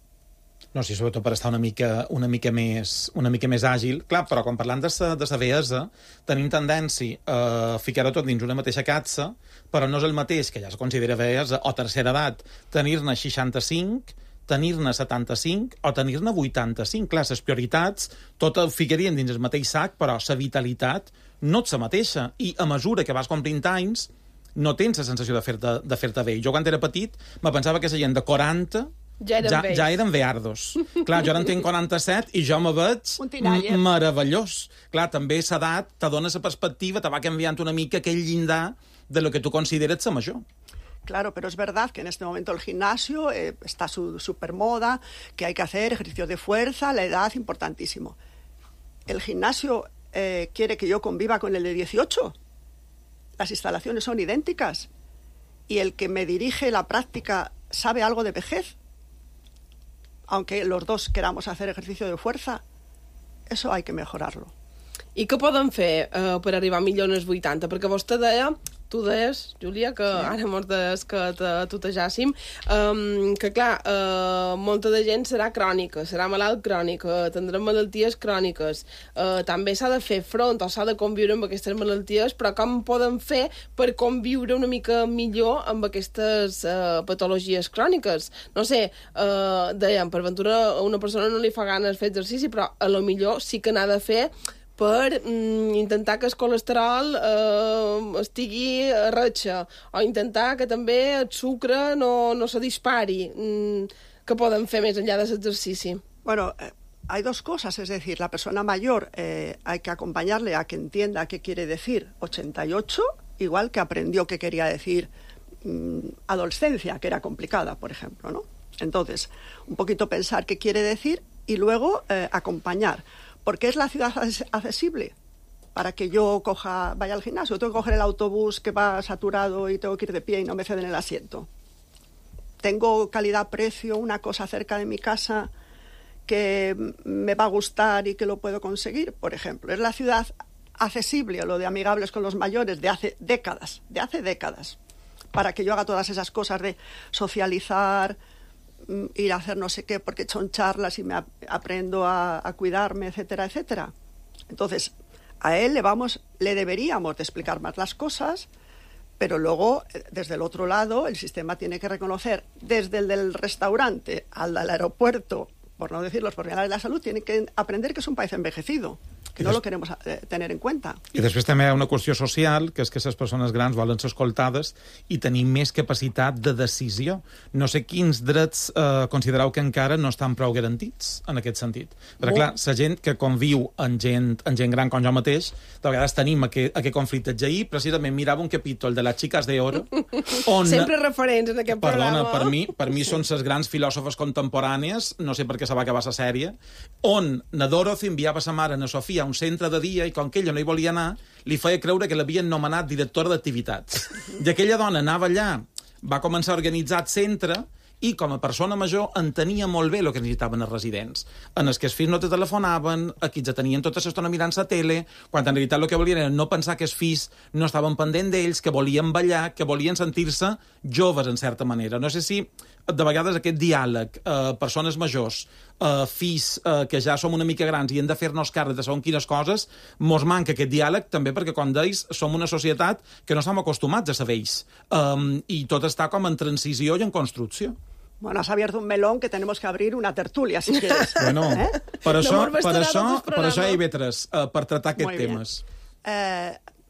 No, sí, sobretot per estar una mica més àgil. Clar, però quan parlant de la vellesa, tenim tendència a ficar-ho tot dins una mateixa capsa, però no és el mateix, que ja es considera vellesa o tercera edat, tenir-ne 65, tenir-ne 75 o tenir-ne 85. Clar, les prioritats tot ho ficarien dins el mateix sac, però la vitalitat no és la mateixa. I a mesura que vas complint anys, no tens la sensació de fer-te vell. Jo, quan era petit, me pensava que la gent de 40 ja eren veardos. Clar, jo ara en tinc 47 i jo me veig meravellós. Clar, també l'edat te dona la perspectiva, te va canviant una mica aquell llindar de lo que tu consideres ser major. Claro, pero es verdad que en este momento el gimnasio está súper moda, que hay que hacer ejercicios de fuerza, la edad, importantísimo. ¿El gimnasio quiere que yo conviva con el de 18? Las instalaciones son idénticas. ¿Y el que me dirige la práctica sabe algo de vejez? Aunque los dos queramos hacer ejercicio de fuerza, eso hay que mejorarlo. I què poden fer per arribar millor als 80? Perquè vostè tu deies, Júlia, que ara mos deies que tutejàssim, que clar, molta de gent serà crònica, serà malalt crònic, tindrà malalties cròniques. També s'ha de fer front o s'ha de conviure amb aquestes malalties, però com poden fer per conviure una mica millor amb aquestes patologies cròniques? No sé, dèiem, per ventura a una persona no li fa ganes fer exercici, però a lo millor sí que n'ha de fer per intentar que el colesterol estigui a ratxa, o intentar que també el sucre no se dispari. Què poden fer més enllà de l'exercici? Bueno, hay dos cosas, es decir, la persona mayor hay que acompañarle a que entienda qué quiere decir 88, igual que aprendió qué quería decir adolescencia, que era complicada, por ejemplo, ¿no? Entonces, un poquito pensar qué quiere decir y luego acompañar. ¿Por qué es la ciudad accesible? Para que yo vaya al gimnasio. Tengo que coger el autobús que va saturado y tengo que ir de pie y no me ceden el asiento. Tengo calidad-precio, una cosa cerca de mi casa que me va a gustar y que lo puedo conseguir, por ejemplo. Es la ciudad accesible, lo de amigables con los mayores, de hace décadas, para que yo haga todas esas cosas de socializar, ir a hacer no sé qué, porque son charlas y me aprendo a cuidarme, etcétera, etcétera. Entonces, a él le deberíamos de explicar más las cosas, pero luego, desde el otro lado, el sistema tiene que reconocer, desde el del restaurante al del aeropuerto, por no decir los profesionales de la salud, tienen que aprender que es un país envejecido, que no lo queremos tener en cuenta. I després també hi ha una qüestió social, que és que les persones grans volen ser escoltades i tenir més capacitat de decisió. No sé quins drets considereu que encara no estan prou garantits en aquest sentit. Perquè, clar, la gent que conviu amb gent gran com jo mateix, de vegades tenim aquest conflicte. Ahir, precisament, mirava un capítol de Las Chicas de Oro, on... Sempre referents en aquest programa. Perdona, per mi són les grans filòsofes contemporànies, no sé per què se va acabar la sèrie, on na Dorothy enviava sa mare, na Sofia, un centre de dia, i com que ella no hi volia anar, li feia creure que l'havien nomenat directora d'activitats. I aquella dona anava allà, va començar a organitzar el centre, i com a persona major entenia molt bé el que necessitaven els residents. En els que els fills no te telefonaven, aquí ja tenien tota l'estona mirant la tele, quan en realitat el que volien era no pensar que els fills no estaven pendent d'ells, que volien ballar, que volien sentir-se joves, en certa manera. No sé si de vegades aquest diàleg, persones majors, fills que ja som una mica grans i hem de fer-nos càrrec de segons quines coses, mos manca aquest diàleg també perquè, com deies, som una societat que no estem acostumats a saber ells. I tot està com en transició i en construcció. Bueno, has abierto un melón que tenemos que abrir una tertulia, si quieres. Bueno, per això hi ha vetres, per tratar aquests temes.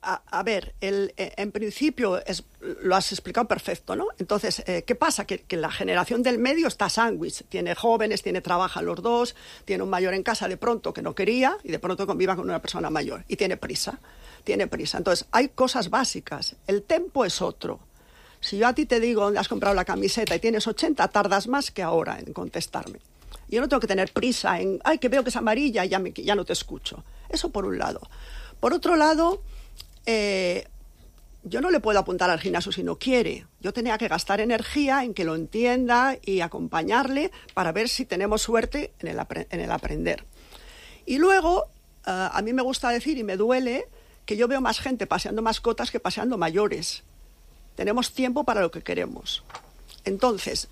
A ver, en principio lo has explicado perfecto, ¿no? Entonces, ¿qué pasa? Que la generación del medio está sándwich. Tiene jóvenes, trabajan los dos, tiene un mayor en casa de pronto que no quería y de pronto conviva con una persona mayor. Y tiene prisa. Entonces, hay cosas básicas. El tempo es otro. Si yo a ti te digo dónde has comprado la camiseta y tienes 80, tardas más que ahora en contestarme. Yo no tengo que tener prisa en, ay, que veo que es amarilla y ya no te escucho. Eso por un lado. Por otro lado, yo no le puedo apuntar al gimnasio si no quiere. Yo tenía que gastar energía en que lo entienda y acompañarle para ver si tenemos suerte en el aprender. Y luego, a mí me gusta decir, y me duele, que yo veo más gente paseando mascotas que paseando mayores. Tenemos tiempo para lo que queremos. Entonces,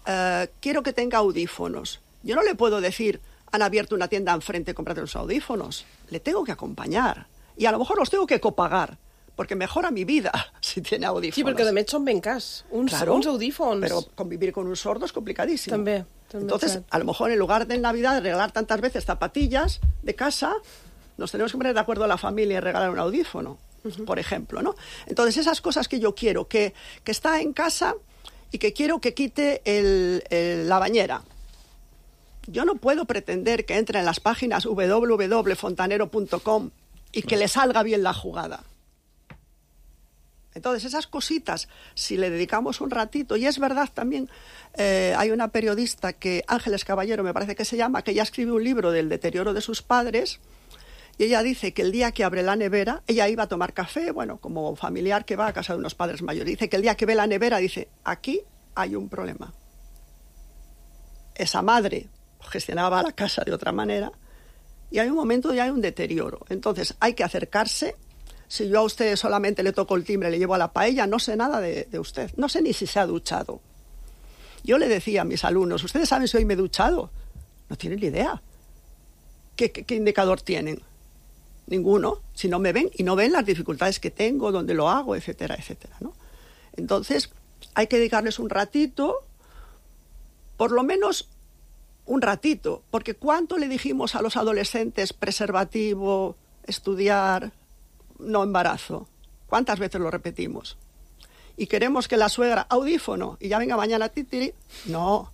quiero que tenga audífonos. Yo no le puedo decir, han abierto una tienda enfrente, cómprate los audífonos. Le tengo que acompañar. Y a lo mejor los tengo que copagar, porque mejora mi vida si tiene audífonos. Sí, perquè de més són ben cars. Uns audífons. Pero convivir con un sordo es complicadísimo. També. Entonces, a lo mejor en lugar de en Navidad regalar tantas veces zapatillas de casa, nos tenemos que poner de acuerdo a la familia y regalar un audífono. por ejemplo, ¿no? Entonces, esas cosas que yo quiero, que está en casa y que quiero que quite la bañera. Yo no puedo pretender que entre en las páginas www.fontanero.com y que le salga bien la jugada. Entonces, esas cositas, si le dedicamos un ratito, y es verdad también, hay una periodista Ángeles Caballero, me parece que se llama, que ella escribe un libro del deterioro de sus padres, y ella dice que el día que abre la nevera, ella iba a tomar café, bueno, como familiar que va a casa de unos padres mayores, dice que el día que ve la nevera, dice, aquí hay un problema. Esa madre gestionaba la casa de otra manera, y hay un momento y hay un deterioro. Entonces, hay que acercarse. Si yo a usted solamente le toco el timbre, le llevo a la paella, no sé nada de usted. No sé ni si se ha duchado. Yo le decía a mis alumnos, ¿ustedes saben si hoy me he duchado? No tienen ni idea. ¿Qué indicador tienen? Ninguno. Si no me ven y no ven las dificultades que tengo, dónde lo hago, etcétera, etcétera, ¿no? Entonces, hay que dedicarles un ratito, por lo menos un ratito, porque ¿cuánto le dijimos a los adolescentes preservativo, estudiar, no embarazo? ¿Cuántas veces lo repetimos? Y queremos que la suegra, audífono, y ya venga mañana titiri. No.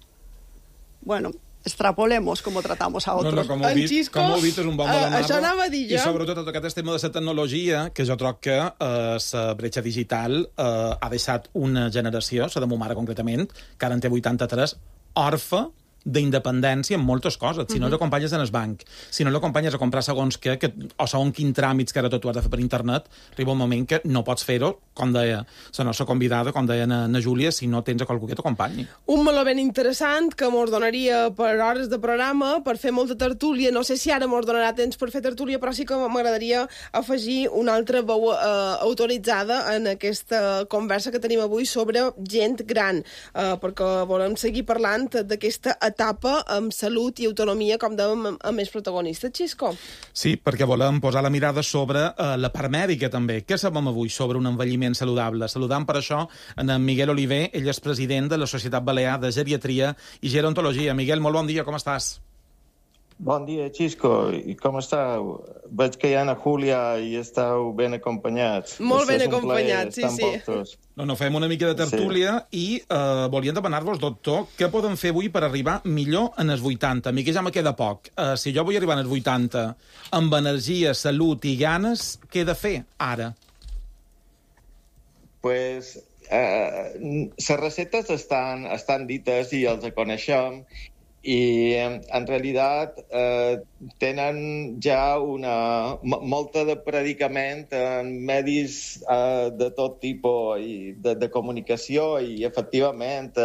Bueno, extrapolemos com tratamos a otros. Com heu vist, és un bon de això anava a dir jo. I sobretot tot aquest tema de la tecnologia, que jo troc que la bretxa digital ha deixat una generació, la de ma mare concretament, que ara en té 83, orfa d'independència en moltes coses. Si no l'acompanyes en el banc, si no l'acompanyes a comprar segons què, o segons quin tràmits que ara tot ho has de fer per internet, arriba un moment que no pots fer-ho, com deia la nostra convidada, com deia na Júlia, si no tens a qualcú que t'acompanyi. Un meló ben interessant que mos donaria per hores de programa, per fer molta tertúlia. No sé si ara mos donarà temps per fer tertúlia, però sí que m'agradaria afegir una altra veu autoritzada en aquesta conversa que tenim avui sobre gent gran, perquè volem seguir parlant d'aquesta etapa amb salut i autonomia, com dèiem, a més protagonista. Xisco? Sí, perquè volem posar la mirada sobre la part mèdica, també. Què sabem avui sobre un envelliment saludable? Saludant per això en Miguel Oliver, ell és president de la Societat Balear de Geriatria i Gerontologia. Miguel, molt bon dia, com estàs? Bon dia, Xisco. I com estàu? Veig que hi ha na Júlia i estàu ben acompanyats. Molt ben acompanyats, sí, sí. No, fem una mica de tertúlia i volíem demanar-vos, doctor, què podem fer avui per arribar millor en els 80? A mi que ja me queda poc. Si jo vull arribar als 80 amb energia, salut i ganes, què he de fer ara? Pues les receptes estan dites i els coneixem, i en realitat tenen ja molta de predicament en medis de tot tipus i de comunicació, i efectivament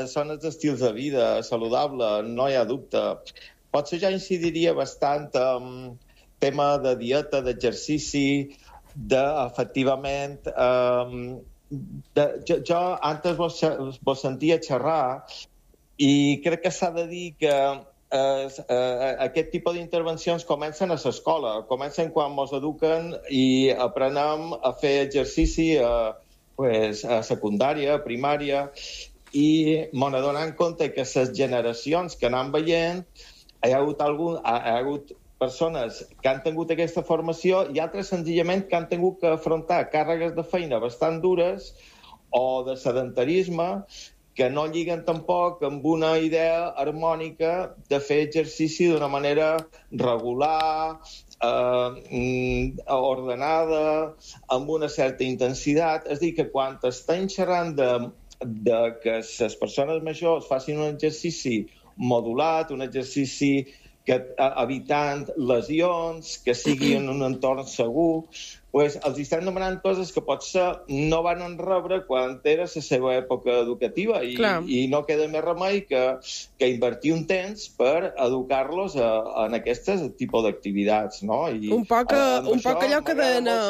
són els estils de vida saludable, no hi ha dubte. Potser ja incidiria bastant en tema de dieta, d'exercici, efectivament... Jo antes vos sentia xerrar i crec que s'ha de dir que aquest tipus d'intervencions comencen a l'escola, comencen quan ens eduquen i aprenem a fer exercici a secundària, a primària, i m'han adonat compte que les generacions que anem veient hi ha hagut persones que han tingut aquesta formació i altres senzillament que han tingut que afrontar càrregues de feina bastant dures o de sedentarisme que no lliguen tampoc amb una idea harmònica de fer exercici d'una manera regular, ordenada, amb una certa intensitat. És a dir, que quan estem xerrant de que les persones majors facin un exercici modulat, un exercici evitant lesions, que sigui en un entorn segur, els estem demanant coses que potser no van rebre quan era la seva època educativa i no queda més remei que invertir un temps per educar-los en aquest tipus d'activitats. Un poc allò que deia na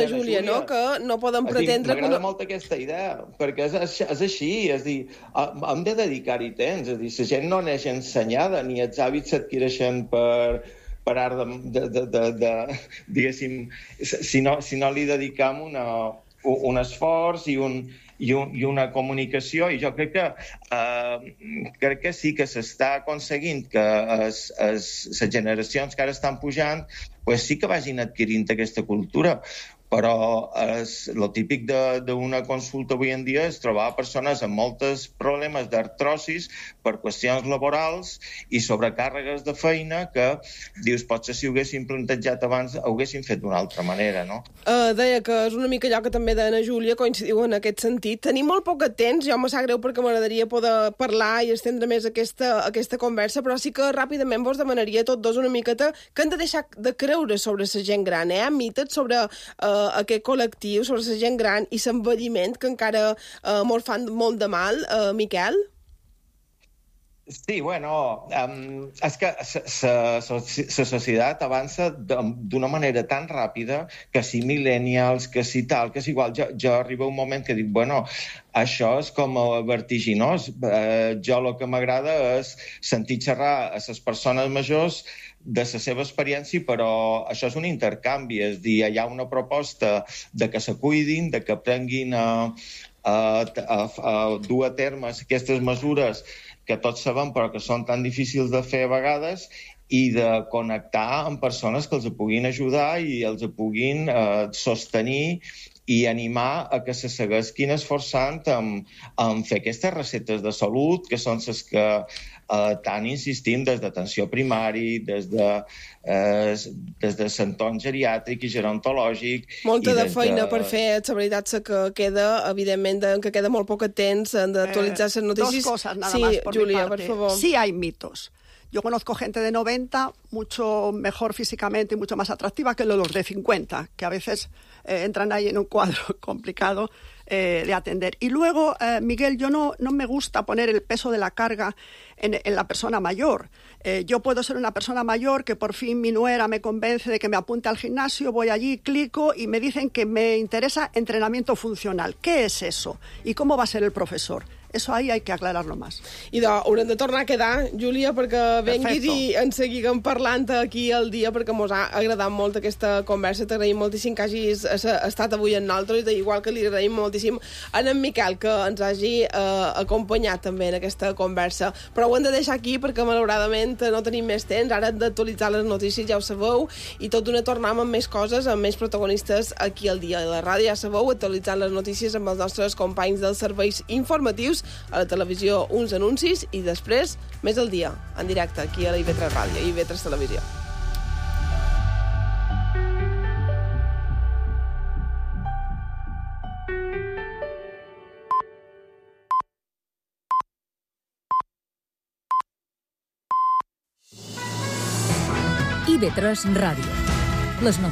Júlia, no? Que no podem pretendre... M'agrada molt aquesta idea, perquè és així, és dir, hem de dedicar-hi temps, és dir, la gent no neix ensenyada, ni els hàbits s'adquireixen per art de diguéssim, si no li dedicam un esforç i i una comunicació, i jo crec que sí que s'està aconseguint que les generacions que ara estan pujant pues sí que vagin adquirint aquesta cultura. Però el típic d'una consulta avui en dia és trobar persones amb molts problemes d'artrosis per qüestions laborals i sobrecàrregues de feina que, dius, potser si ho haguessin plantejat abans ho haguessin fet d'una altra manera, no? Deia que és una mica allò que també d'Anna Júlia coincidiu en aquest sentit. Tenim molt poc temps, jo me sap greu perquè m'agradaria poder parlar i estendre més aquesta conversa, però sí que ràpidament vos demanaria tots dos una miqueta que hem de deixar de creure sobre la gent gran, mites sobre aquest col·lectiu, sobre la gent gran i l'envelliment, que encara mos fan molt de mal. Miquel? Sí, bueno, és que la societat avança d'una manera tan ràpida que si millennials, que si tal, que és igual. Jo arriba un moment que dic, bueno, això és com vertiginós. Jo el que m'agrada és sentir xerrar a les persones majors de la seva experiència, però això és un intercanvi, és dir, hi ha una proposta de que se cuidin, de que aprenguin a dur a terme aquestes mesures que tots sabem però que són tan difícils de fer a vegades, i de connectar amb persones que els puguin ajudar i els puguin sostenir i animar a que se segueixin esforçant en fer aquestes receptes de salut, que són les que tant insistim des d'atenció primari, des de l'entorn geriàtric i gerontològic. Molta de feina per fer, la veritat que queda, evidentment, que queda molt poc temps d'actualitzar les notícies. Dos cosas nada más por Julia, mi parte. por favor. Sí hay mitos. Yo conozco gente de 90 mucho mejor físicamente y mucho más atractiva que los de 50, que a veces entran ahí en un cuadro complicado de atender. Y luego, Miguel, yo no me gusta poner el peso de la carga en la persona mayor. Yo puedo ser una persona mayor que por fin mi nuera me convence de que me apunte al gimnasio, voy allí, clico y me dicen que me interesa entrenamiento funcional. ¿Qué es eso? ¿Y cómo va a ser el profesor? Eso ahí hay que aclararlo más. I haurem de tornar a quedar, Júlia, perquè venguis i en seguiguem parlant aquí al dia, perquè mos ha agradat molt aquesta conversa. T'agraïm moltíssim que hagis estat avui amb nosaltres, igual que li agraïm moltíssim a en Miquel que ens hagi acompanyat també en aquesta conversa. Però ho hem de deixar aquí perquè malauradament no tenim més temps. Ara hem d'actualitzar les notícies, ja ho sabeu, i tot d'una tornem amb més coses, amb més protagonistes aquí al dia. A la ràdio, ja sabeu, actualitzant les notícies amb els nostres companys dels serveis informatius, a la televisió uns anuncis i després més al dia, en directe, aquí a la IB3 Ràdio i IB3 Televisió. IB3 Ràdio. Les